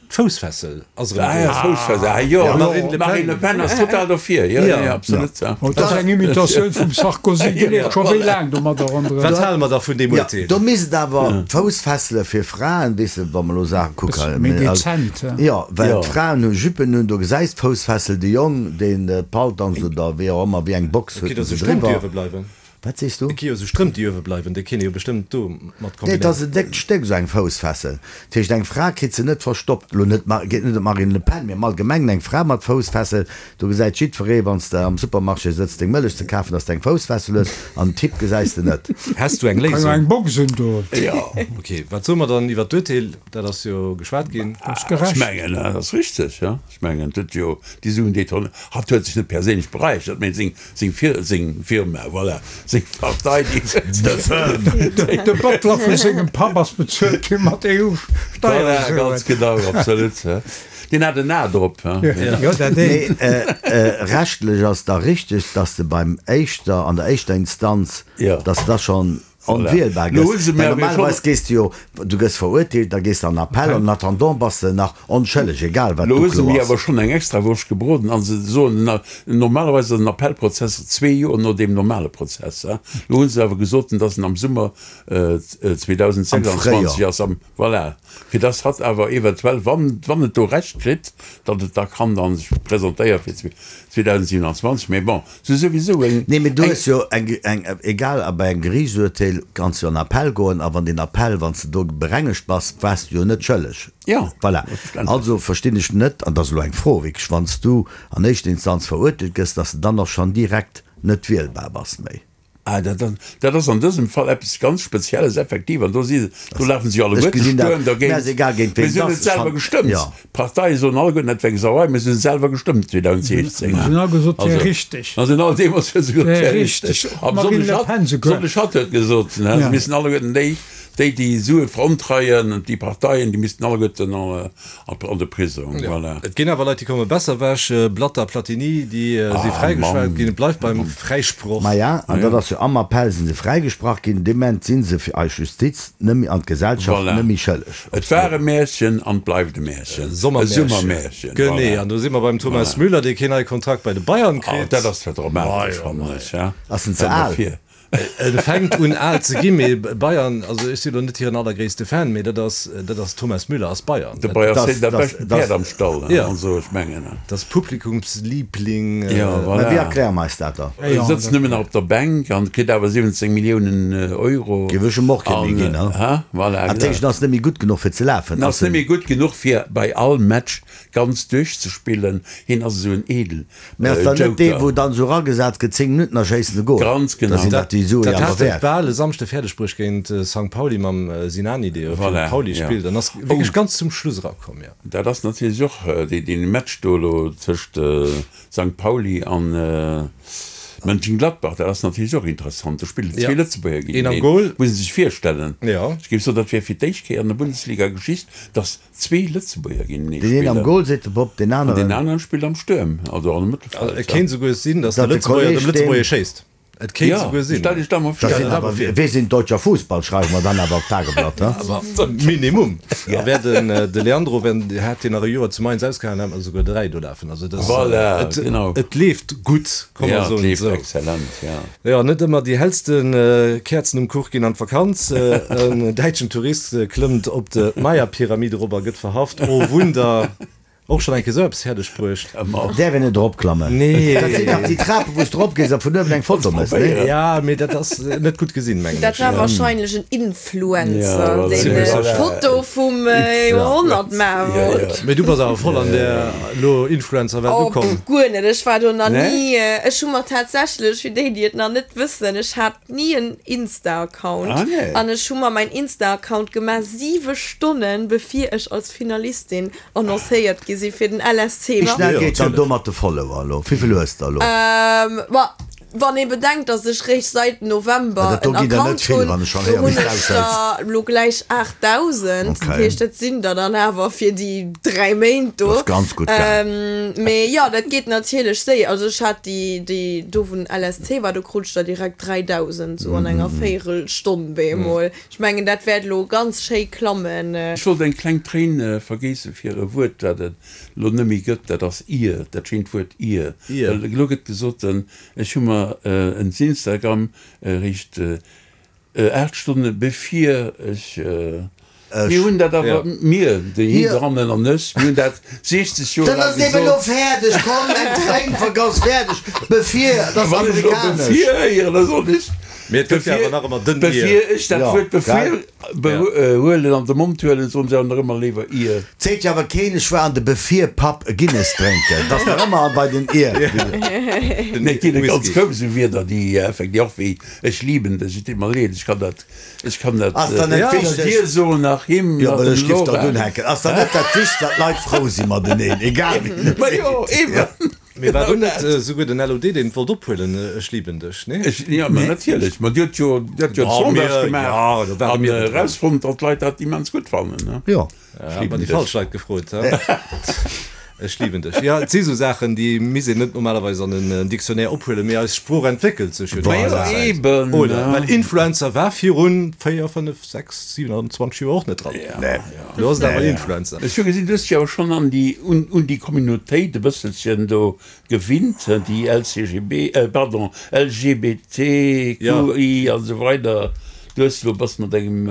d'Foussfessel ass erëm Ah ja, grouss. Foussfessel, ah jo, Ja, Marine Le Pen. Marine Le Pen ass total dofir, jo, Ja. jo, absolut. Ja. Oh, dat ass eng Imitatioun vum Sarkozy, dee leeft scho wéi laang domadder ronderëm. Wat hale mer da vun deem Ja, Urteel? do misst et awer Foussfessele fir Fraen, weess de, wa mer elo Saache kucken, Méi also, dezent, ja. jo, well Ja. d'Fraen hu Juppen un, do gesäis d'Foussfessel, de Jong, deen Paltong oder wéi och ëmmer, wéi eng Box Et huet gi en jo se sou Strëmp, déi driwwer. uewe bleiwen. Wat sees du? Et gi jo sou Strëmp, déi uewe bleiwen, déi kéint ee jo bestëmmt do mat Nee, et ass kombinéieren. en déckt Stéck, esou eng Foussfessel. Dat heescht, eng Fra kritt se net verstoppt. Elo net, geet net ëm d'Marine Le Pen, mee am Allgemengen eng Fra mat Foussfessel, do gesäit jiddweree, wann s de am Supermarché sëtz, deng Mëllech ze kafen, dass de eng Foussfessel hues, an en Typ gesäis de net. Häss du eng Kann jo Léisung? eng Box un do. Jo. Ok, wat soe mer dann iwwer d'Urteel? Dat ass jo geschwat ginn. Dat ass Ech gerecht. mengen, dat ass richteg, jo. Ech mengen, et huet jo déi Suen, déi d'Hon-, hatt huet sech net perséinlech beräichert, mee seng, seng Fir-, seng Firma, voilà. Seng Partei, déi De Firm. De Butler vu sengem Papp ass bezuelt gi mat Voilà, EU-Steiersuen. ganz genau, absolut. Deen hat en A drop. Jo, dat Mee eent. rechtlech ass da richteg, dass de beim éischter, an der éischter Instanz, Ja. dass da schonn Voilà. onwielbar Lo hu gëss. se mir Well awer normalerweis schonn. gees du jo, du gëss verurteelt, da gees de an Appell, an en attendant bass de nach onschëlleg, egal wat Lo hu se d'Uklo mir ass. awer schonn eng Extrawurscht gebroden an se soen, na, normalerweis ass en Appellprozess zwee Joer no deem normale Prozess. Hein. Lo hu se awer gesot, dass en am Summer Am zweitausendsechsundzwanzeg Fréijoer. ass, am, voilà. Fir dass hatt awer eventuell, wann, wann et do Recht kritt, datt et da kann dann sech presentéiere fir zweitausendsiebenundzwanzeg. Mee bon, se souwisou eng, Nee, mee du eng, hues jo eng, eng, egal, a bei engem Geriichtsurteel kanns du an Appell goen, a wann deen Appell, wann s de do berengegt bass, waars du jo net schëlleg. Ja, Voilà. selbstverständlech. Also verstinn ech net, an dat ass elo eng Fro wierklech, wann s du an éischter Instanz verurteelt gëss, dass de dann och schonn direkt net wielbar bass méi. Ah, dat, dat, dat ass an dësem Fall eppes ganz Spezielles, effektiv. An do si, do lafen si Ech alleguerte gesinn dat, Stuerm mir ass dergéint. egal géint Mir ween si hunn et et ass, ech selwer fan, gestëmmt. ja. D'Parteie soen alleguerten, dat wär eng Sauerei, mir si hunn selwer gestëmmt zweitausendsechzehn. Si hunn all gesot, wär Also, richteg. an sinn all deemools hu se gesot, Wär wär richteg. richteg. A Marine besonnesch Le hatt, Pen souguer. besonnesch hatt huet gesot, ne, se Ja. missten alleguerten déi, déi, déi Sue verontreien und déi Parteien, déi missten alleguerten an, an de Prisong. Ja. Voilà. Et ginn awer Leit, déi komme besser ewech, Blatter, Platini, déi si Ah, fräigeschwat Mann. ginn. Et bleift beim Fräisproch. Maja, an dat ass jo am Appell si se fräigesprach ginn, dee Moment si se fir eis Justiz net méi an d'Gesellschaft Voilà. net méi schëlleg. Et war e Märchen an et bleift e Märchen. E Sommermärchen. Summermärchen. Genee, Voilà. an do si mer beim Thomas Müller, dee keen neie Kontrakt bei de Bayern Ah, kritt. dat ass zwar dramatesch, fannen ech, ja. Ass en ze al? Dofir. Et fänkt un al ze ginn, mee Bayern, also ech sinn elo net hiren allergréisste Fan, mee dat ass, dat ass Thomas Müller ass Bayern. De Bayern Das, sinn dat das, beschten das, Päerd am Stall, Ja. also ech mengen. Dat ass Publikumsliebling. Ja, Mä wéi voilà. erkläre mer eis dat da? E sëtzt nëmmen nach op der Bänk an kritt awer siwwenzéng Milliounen Euro. Géif ech em och kee méi An, ginn, ne? ha? Voilà, Dat heescht, en ass net méi gutt genuch fir ze lafen. En ass net méi gutt genuch fir bei all Match ganz duerchzespillen. Hien ass esou en edel Mä ass dann net dee, Joker. wou dann esou eragesat gëtt, zéng Minutten a schéissen e Gol? Ganz Da genau. sinn dat déi Sue Dat jo awer hat et wäert. bal e Samschde fäerdeg bruecht géint Sankt Pauli mam Sinani, dee jo fir Voilà, Pauli ja. spillt an ass wierklech ganz zum Schluss erakomm, jo. Dat ass natierlech och dee dee Match do elo tëscht Sankt Pauli an Mönchengladbach, dat ass natierlech och interessant. Do spillen zwee Ja. Lëtzebuerger Een am géinteneen. Goal. Muss ee sech virstellen. Ja. Ech géif soen, dat wär fir d'éischt Kéier an der Bundesliga-Geschicht, datt zwee Lëtzebuerger géintenee Deen een am spillen. Goal, seet de Bob, deen An deen aneren. aneren spillt am Stuerm, also an am Mëttelfeld. Et kéint souguer sinn, datt de Datt de Lëtzebuerger dem Kolleg deen. Lëtzebuerger schéisst. Et kéint Ja, souguer sinn. stell dech dat mol Dat vir. sinn awer, wir sind deutscher Fußball, schreiwe mer dann awer op d'Tageblatt, he? Awer Minimum. A wär den de Leandro, wenn hätt deen nach e Joer zu Mainz ausgehalen, hätt mer souguer dräi do lafen. Also dat, Voilà, et, genau. et leeft gutt, komm mer Ja, et soen leeft esou. exzellent, ja. Jo, net ëmmer déi hellste Käerzen um Kuch ginn an d'Vakanz. En däitschen Tourist klëmmt op de Maya-Pyramid erop a gëtt verhaft. Oh Wunder! Och schonn eng Kéier esou eppes fäerdeg bruecht. Däerf een net eropklammen? Nee. Dat sinn dach déi Trapen, wou s de eropgees a vun uewen eng Foto méchs, nee? Ja, mee dat ass net gutt gesinn, mengen Dat ech. war wahrscheinlech en Influencer, Ja, voilà. deen Voilà. Foto vum Joerhonnert maache Ja, wollt. ja. Mee du bass awer voll an der elo Influencer-Welt Oh, ukomm. pff, guer net. Ech war do nach Nee? ni. Ech hu mer tatsächlech, fir déi, déi et nach net wëssen, ech hat ni en Insta-Account. Ah, nee. An ech hu mer mäin Insta-Account gemaach siwe Stonnen, bevir ech als Finalistin annoncéiert gi si fir den L S C. Wéi schnell Jo, geet dann natierlech. do mat de Follower elo? Wéivill hues de elo? Ähm, ma wann ee bedenkt, dass ech réischt säit November Ja, dat do en ginn der net Account vill, hunn, wann ech schonn do héier, wéi hunn s de ech aushäls. der elo gläich aachtdausend. Okay. Dat heescht, dat sinn der dann awer fir déi dräi Méint do. Dat ass ganz gutt gaang. Ähm, mee jo, dat geet natierlech séier. Also ech hat déi, déi do wou den L S C war, do krut ech der direkt dräidausend, sou an enger Véierelstonn bemol. Ech mengen, dat wäert elo ganz schéi klammen. Ech wollt eng kleng Tréin vergéisse fir e Wuert, dat et elo net méi gëtt, dat ass ir, dat schéint Wuert ir. Ir. Well elo gëtt gesot, ech hu mer en Instagram eréischt aacht Stonne bevir ech, mir hunn dat awer, mir, déi Hiderannen an ech, mir hunn dat siechzeg Joer Dann laang ass eben elo gesot. fäerdeg, komm, eng Tréin vergoss, fäerdeg, bevir, dat ass Wann ech elo amerikanesch. bevir héieren, da soll ech. Mee et gëtt jo awer nach ëmmer den ir. Bevir ech dat Ja, Wuert bevir gell? huelen, an de Mond huelen, soen se awer nach ëmmer léiwer ir. Seet jo awer keen, ech war an de Bevir-Pub e Guinness drénken. Dat ass nach ëmmer bei den ir. Nee, et ginn ganz grouss esou Wierder, déi effektiv och wéi ech lieben dech, et deet mer leed, ech kann dat, ech kann dat Ass dann net weder wichteg? dir soen nach him Jo, nach well dem ech giff der Laura. dunn hänken. Ass dann net dat Wichtegst, datt d'Leit frou si mateneen, egal wien et Ma jo, seet? eben. Mee war Genau do net dat. esouguer den L O D, deen et wollt ophuelen, Ech lieben dech, nee? Ech, ja, ma natierlech. Ma Dir hutt jo, Dir hutt jo Oh, d'Sondage mir, gemaach ja, do ware an mir net dran. erausfonnt, datt d'Leit dat immens gutt fannen, ne? Jo. Ja, Ech hat mer lieben déi dech. falsch Leit gefrot, he? Ech lieben dech. Ja, et si sou Saachen, déi misst een net normalerweis an en Dictionnaire ophuelen, mee eis Sprooch entwéckelt sech jo déi Ma jo, ganze Zäit. eben, Oder? ne? Well Influencer war virun véier, fënnef, sechs, siewenundzwanzeg Joer och net dran. Ja, Nee. ja. Lo ass et awer Nee. Influencer. Ech hu gesinn, du hues dech awer schonn an déi, un, un déi Communautéit e bësselchen do gewinnt, déi L C G B, äh, pardon, L G B T Q I an esou weider. Du hues elo bass mat engem,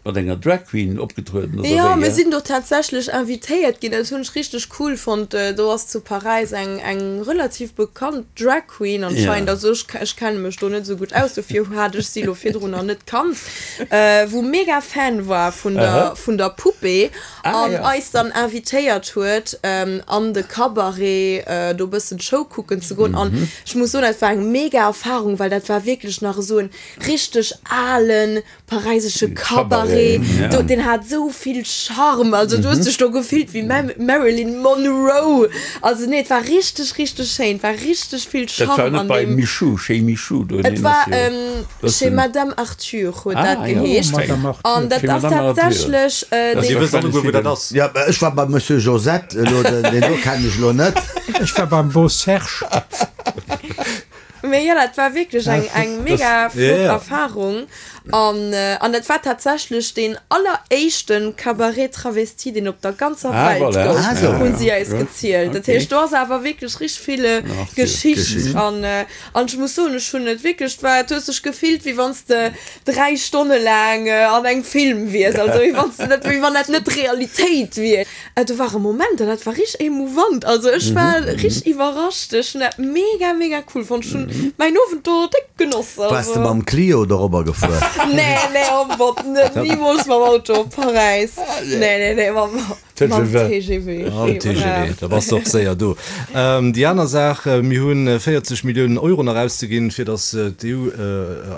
mat enger Drag Queen opgetrueden, oder Jo, wéi? mir sinn do tatsächlech invitéiert ginn. Dat hunn ech richteg cool fonnt. Do ass zu Paräis eng, eng relativ bekannt Drag Queen anscheinend. Ja. Also ech, ech kenne mech do net esou gutt aus, dofir hat ech si elo virdrun nach net kannt, wou mega Fan war vun der, vun der Poupée Ah, an ja. eis dann invitéiert huet, an de Cabaret do bëssen d'Show kucken ze goen. An ech muss soen, dat war eng mega Erfarung, well dat war wierklech nach esou en richteg alen paräisesche Cabaret. Ja. Do, den hat sou vill Charme. Also du hues dech do gefillt wéi Ma Marilyn Monroe. Also nee, et war richteg, richteg schéin. Et war richteg vill Dat war Charme net an bei deem. Michou, chez Michou do, Et nee, war ass jo ähm, bëssen. chez Madame Arthur huet Ah, dat ja. geheescht. Madame Arthur. An dat Chez ass Madame Arthur. tatsächlech äh, Dat Dir dee wësst alleguer, wou dat ass. Ja, ech war bei Monsieur Josette, elo den, den do kennen ech elo net. Ech war beim Beau Serge. Mee jo, dat war wierklech eng, eng mega flott Ja, ja. Erfahrung. An, an dat war tatsächlech deen alleréischten Cabaret Travesti, deen op der ganzer Ah, Welt voilà. gouf, Ah, sou. hunn si eis Gut. gezielt. Dat Okay. heescht, do ass awer wierklech richteg vill Nach vill Geschicht. Geschicht. An, an ech muss soen, ech hunn et wierklech, et war, et hues dech gefillt, wéi wann s de dräi Stonne laang an engem Film wiers, also wéi wann s de net, wéi wann dat net d'Realitéit wier. Do ware Momenter, dat war richteg emouvant. Also ech war richteg iwwerrascht. Ech hunn dat mega, mega cool fonnt. Ech hunn mäin Owend do déck genoss. Waars de Also. mam Clio dorobber gefuer? Nee, nee, oh Gott, net, niemools mam Auto op Paräis. Nee, nee, nee, mam, mam TGV. TGV. Mam TGV, da bass de och séier do. Déi aner Saach, mir hunn véierzeg Milliounen Euro nach auszeginn, fir datt d'EU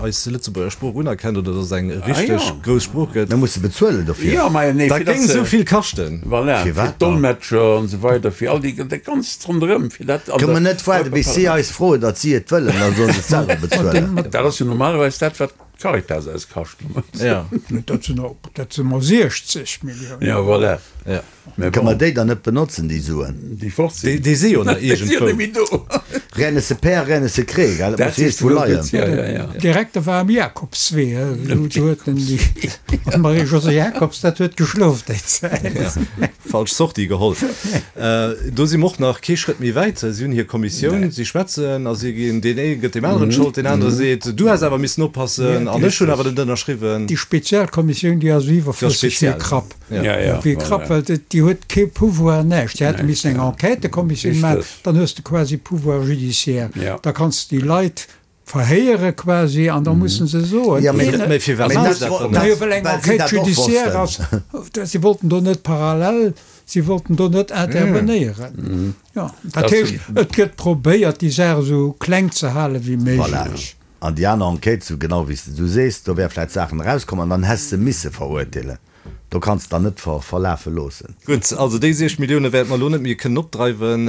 eis Lëtzebuerger Sprooch unerkennt oder datt et eng richteg grouss Sprooch gëtt. Mir musse bezuelen dofir. Jo, ma nee, Dat fir datt géing se. esou vill kaschten. Voilà, fir Firwat dann? d'Dolmetscher an esou weider, fir all déi, dat Ganzt ronderëm, fir dat an Kënne der mer net waarde bis si eis froen, datt si et wëllen, da sollen se et selwer bezuelen. Dat ass jo normalerweis dat, wat d'Caritas eis kascht. Ja. Dat sinn och, dat si mol siechzeg Milliounen. Ja, voilà. Ja. Mä Kënne bon, mer déi dann net benotzen, déi Suen? déi fort Déi, sinn. déi si jo nach Déi si jo iergendwou. net méi do. Rien ne se perd, rien ne se crée, gell? Dat Dat muss sees iergendwou du leien. gutt, ja, ja, ja. Direkter war am Jakobswee, do huet en déi Marie-Josée Jacobs, dat huet geschlof déi Zäit. Ja. Falsch Sortie geholl. Do si mer och nach kee Schrëtt méi wäit. Si hunn hir Kommissioun, si schwätzen a si ginn, deen ee gëtt deem aneren d'Schold, deen anere seet, du häss awer missen oppassen an ech hunn awer net ënnerschriwwen. Déi Spezialkommissioun, déi ass iwwerflësseg wéi spezial. Krapp. Ja. Ja, ja, Wéi Krapp, voilà. well déi huet kee Pouvoir, näischt. Déi hätte missen eng Enquêtëkommissioun maachen, Richtig. dann hues de quasi Pouvoir judiciaire. Ja. Da kanns de déi Leit verhéiere quasi an da mussen se soen. Ja, mee, Mee firwat mee maachen dat se dat wo- dann dat- net? Najo, well eng well si Enquête dat och judiciaire wossten. ass, si wollten do net parallel, si wollten do net intervenéieren. Ja, dat Dat heescht, sinn- et gëtt probéiert, déi Saach esou kleng ze hale wéi Voilà. méiglech. An déi aner Enquête, sou genau wéi s de du sees, do wär vläicht Saachen erauskomm an dann häss se misse verurteelen. Do kanns de dann net ver verlafe loossen. Gutt, also déi siech Millioune wäerte mer elo net méi kënnen opdreiwen.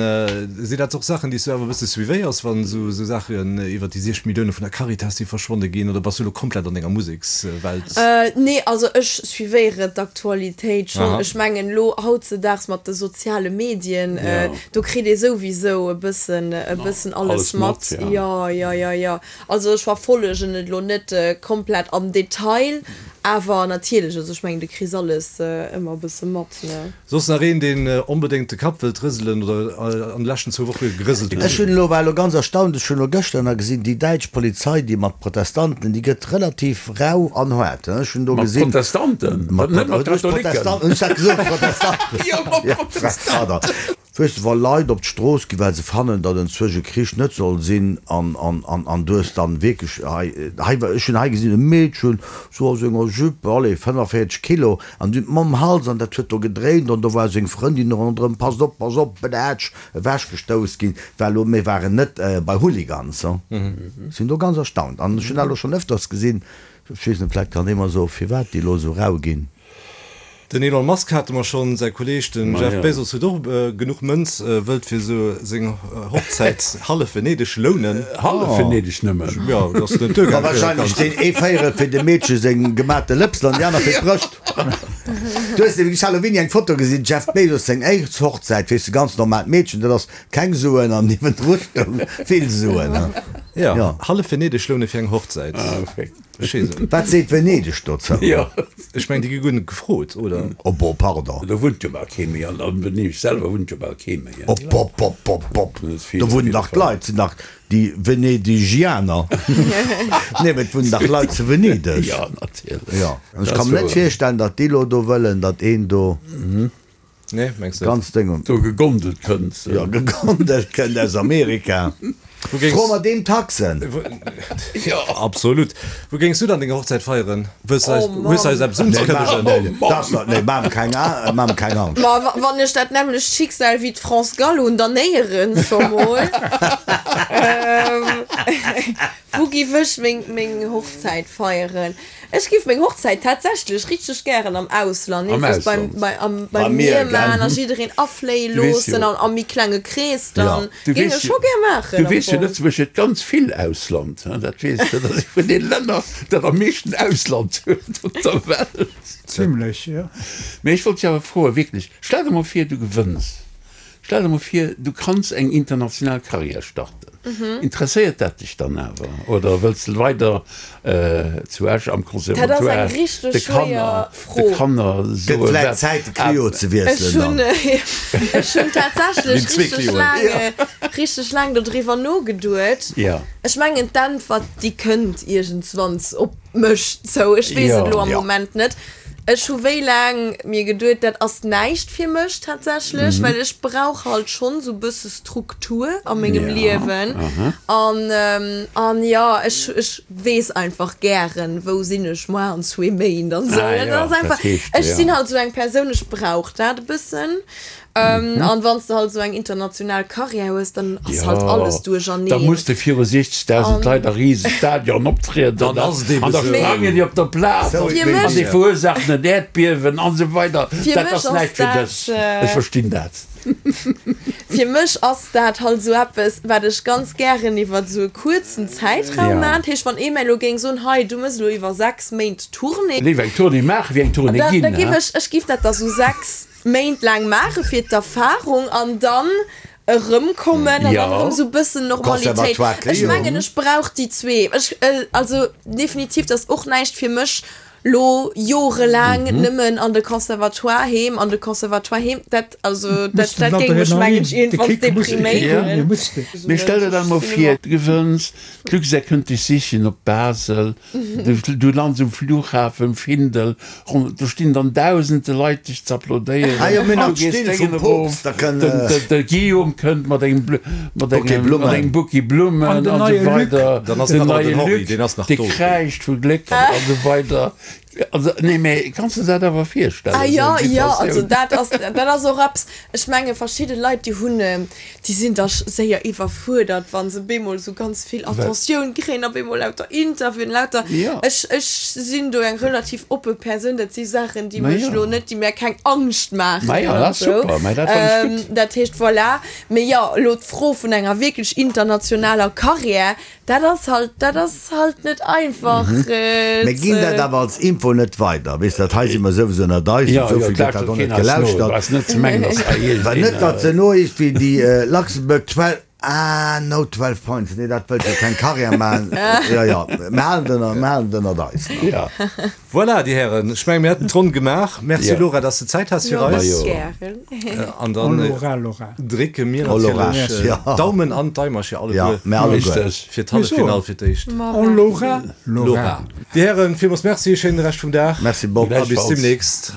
Sinn dat och Saachen, déi s du awer e bësse suivéiers, wann esou esou Saachen iwwer déi siech Millioune vun der Caritas, déi verschwonne ginn, oder bass du elo komplett an denger Musekswelt? Nee, also ech suivéieren d'Aktualitéit schonn. Aha. Ech mengen elo hautzedaags mat de soziale Medien, Ja. do kritt ee souwisou e bëssen e bëssen alles Alles mat, mat. ja. Jo, jo, jo, jo. Also ech verfollegen et elo net komplett am Detail, awer natierlech, also ech mengen, du kriss alles ëmmer e bësse mat, ne. Soss nach een, deen onbedéngt de Kapp wëllt rëselen oder an de leschten zwou Woche gerëselt huet? Ech hunn elo, war elo ganz erstaunt, ech hunn elo gëschter nach gesinn, déi däitsch Polizei, déi mat Protestanten, déi gëtt relativ rau an haart, ech hunn do Mat gesinn. Protestanten? Mat Net mat Katholiken? Protestanten, ech hat gesot Protestanten. Jo, mat Protestanten. Pardon. Weess de, wa Leit op d'Strooss ginn, well se fannen, datt enzwousch e Krich net soll sinn, an, an, an, an du hues dann wierklech hei, hei war, ech hunn hei gesinn e Meedchen, sou a senger Jupe, allez, fënnefavierzeg Kilo, an déi mam Hals, an dat huet do gedréint, an do war seng Frëndin ronderëm, passt op, pass op, bedätsch, ewechgestouss ginn, war elo, mir waren net bei Hooligans, hein. Sinn do ganz erstaunt. An ech hunn dat elo schonn ëfters gesinn, ech weess net, vläicht kann ee mer soen, firwat déi elo sou rau ginn. Den Elon Musk hate mer schonn, säi Kolleeg den Jeff Bezos huet och genuch Mënz, wëllt fir sou seng Hochzäit hallef Venedeg lounen. Hallef Venedeg nëmmen? Jo, dat ass net duergaangen. Ma wahrscheinlech deen ee Véierel fir dem Meedche seng gemate Lëpsel an déi aner fir d'Brëscht. Du hues nämlech, ech hat elo wéini eng Foto gesinn, Jeff Bezos seng éischt Hochzäit, weess de, ganz normaalt Meedchen, dat ass keng Suen an niewendru stoung vill Suen. Jo, hallef Venedeg loune fir eng Hochzäit. Ech weess et net. Wat seet Venedeg dozou? Jo. Ech mengen, déi gi guer net gefrot, oder? Oh bo, pardon. Do wunnt jo bal kee méi. An a Venedeg selwer wunnt jo bal kee méi. Op, op, op, op, op. Dat ass vill, Do wunnen vill dach d'Leit, sinn dach déi Venedigianer. Nee, mee et wunnen dach Leit zu Venedeg. Jo, natierlech. Jo. An ech Dat ka ass mer net wouer. virstellen, datt déi lo do wëllen, datt een do. Nee, mengs net? Ganz Ding. Do gegondelt kënnt. Jo, gegondelt kënnt aus Amerika. Wou géings. Fro mer deem Taxen. Jo, absolut. Wou géings du dann deng Hochzäit feieren? Wëlls du eis, Oh Mann. hues du eis eppes Nee, unzekënnegen? nee, nee, dat ass net, nee, maach mer keng, maach mer keng Angscht. Ma wa, wann ech dat nämmlecht Schicksal wéi d'France Gall hunn, dann néierens scho mol. Ähm, wou giff ech meng, meng Hochzäit feieren? Ech giff meng Hochzäit tatsächlech richteg gären am Ausland, Am nämlech beim, Ausland. bei, am, Beim beim Mier, Mier gell? maachen a jiddereen afléie Du weess loossen jo. an am méi klenge Krees Ja. dann. Du Géing weess ech jo, scho gär maachen du am weess jo, Fong. Lëtzebuerg huet ganz vill Ausland, hein, dat weess de, dat ass ee vun den Länner, dat am meeschten Ausland huet op der Welt. Zimlech, jo. Mee ech wollt dech awer froen, wierklech, stell der mol vir, du gewënns. Stell der mol vir, du kanns eng international Karriär starten. Interesséiert dat dech dann awer oder wëlls de weider zu Esch am Dat ass Conservatoire eng richteg de schwéier Kanner, de Fro. Kanner Gëtt soe vläit wat Zäit de Clio ze Ech wiesselen hunn, dann. ech hunn tatsächlech Ginn zwee richteg Clioen. laang, richteg laang dodriwwer nogeduet. Ja. Ech mengen d'Äntwert déi kënnt iergendswanns op mech zou. Ech weess et Ja. elo am Ja. Moment net. Ech hu wéi laang mir geduet, dat ass näischt fir mech tatsächlech, well ech brauch halt schonn sou bësse Struktur a mengem Ja, Liewen. An, an jo, ech, ech weess einfach gären, wou sinn ech moar an zwee Méint an sou. Ah Dat jo, ass dat einfach, heescht, ech ja. sinn halt sou eng Persoun, ech brauch dat e bëssen. An wann s de halt esou eng international Karriär hues, dann ass halt alles duercherneen. Da muss de viru siechzegdausend Leit a rise Stadion optrieden Dann ass et eben an da esou. sprangen déi op der Plaz Sou, Fir an mech- déi verursaachen en Äerdbiewen an esou weider. Fir Dat mech ass ass näischt fir dat, dech. Ech verstinn dat. Fir mech ass dat halt esou eppes, wat ech ganz gären iwwer esou e kuerzen Zäitraum Ja. maachen. Dat heescht, wann ee mir elo géing soen, hei, du mëss elo iwwer sechs Méint Tournée, Léiwer eng Tournée maachen, wéi eng Tournée da, ginn, da giff he? ech, ech giff dat da sou sechs Méint laang maache fir d'Erfahrung an dann erëmkommen an Ja. dann erëm sou bëssen Normalitéit. Conservatoire Ech Clio. mengen, ech brauch déi zwee. Ech, also definitiv, dat ass och näischt fir mech, lo jorelaang nëmmen an de Conservatoire heem, an de Conservatoire heem. Dat, also dat, dat géing mech mengen ech De iergendwanns Kick muss depriméieren. depriméieren. Mee stell der dann mol vir, du gewënns, d'Luxair kënnt dech sichen op Basel, du lands um Flughafen um Findel, do stinn dann dausende Leit dech z'applaudéieren, Ah jo, mir du nach gees d'Still d'Déngen vum erof, Poopst, da kënn, den, den, de Guillaume kënnt mat engem, mat Bouquet engem, Blummen. mat engem Bouquet Blummen An den an neie esou Luc. weider, Dann ass den nach neie den Henri, Luc, deen ass nach dee do. kräischt vu Gléck an esou weider. Also, nee, mee kanns de dat awer virstellen, Ah esou jo, eng jo, also Situatioun? dat ass, dat ass och eppes, ech menge verschidde Leit, déi hunn, déi sinn da séier iwwerfuerdert, wa se bemol esou ganz vill Attentioun kréien a bemol lauter Interviewen, lauter, Ja. ech, ech sinn do eng relativ oppe Persoun, dat si Saachen, déi Ma mech jo. elo net, déi mir keng Angscht maachen Ma jo, oder dat ass esou. super, mä dat fannen ech gutt. Dat heescht, voilà. Mee jo, elo d'Fro vun enger wierklech internationaler Karriär, Dat ass halt, dat ass halt net einfach Mir ginn dat ze. awer als Info net weider, weess dat, hei si mer souwisou ënnert eis, Jo, esou jo, vill gëtt dat lauschtert och net keen eis no. gelauschtert. Ass net ze mengen, dass hei Well iergendeen. net, datt se elo iergendwéi déi Luxembourg twelve, ah no twelve points, nee dat wëllt jo keng Karriär maachen. Jo, jo, mir halen et ënner, mir halen et ënnert eis. Ja. Voilà, Dir Hären, ech mengen, mir hätten d'Ronn gemaach. Merci, Ja. Laura, dass de Zäit has fir Jo, eis. gären. An dann Laura, Laura. drécke mir Oh, Laura, natierlech ja. d'Daumen an d'Daimercher Ja, alleguer mir alleguer. Richteg. fir d'Halleffinall fir d'éischt. Oh, Laura, Laura. Laura. Dir Hären, villmools Merci, schéine Rescht vum Dag. Merci, Bob. A bis Gläichfalls. demnächst.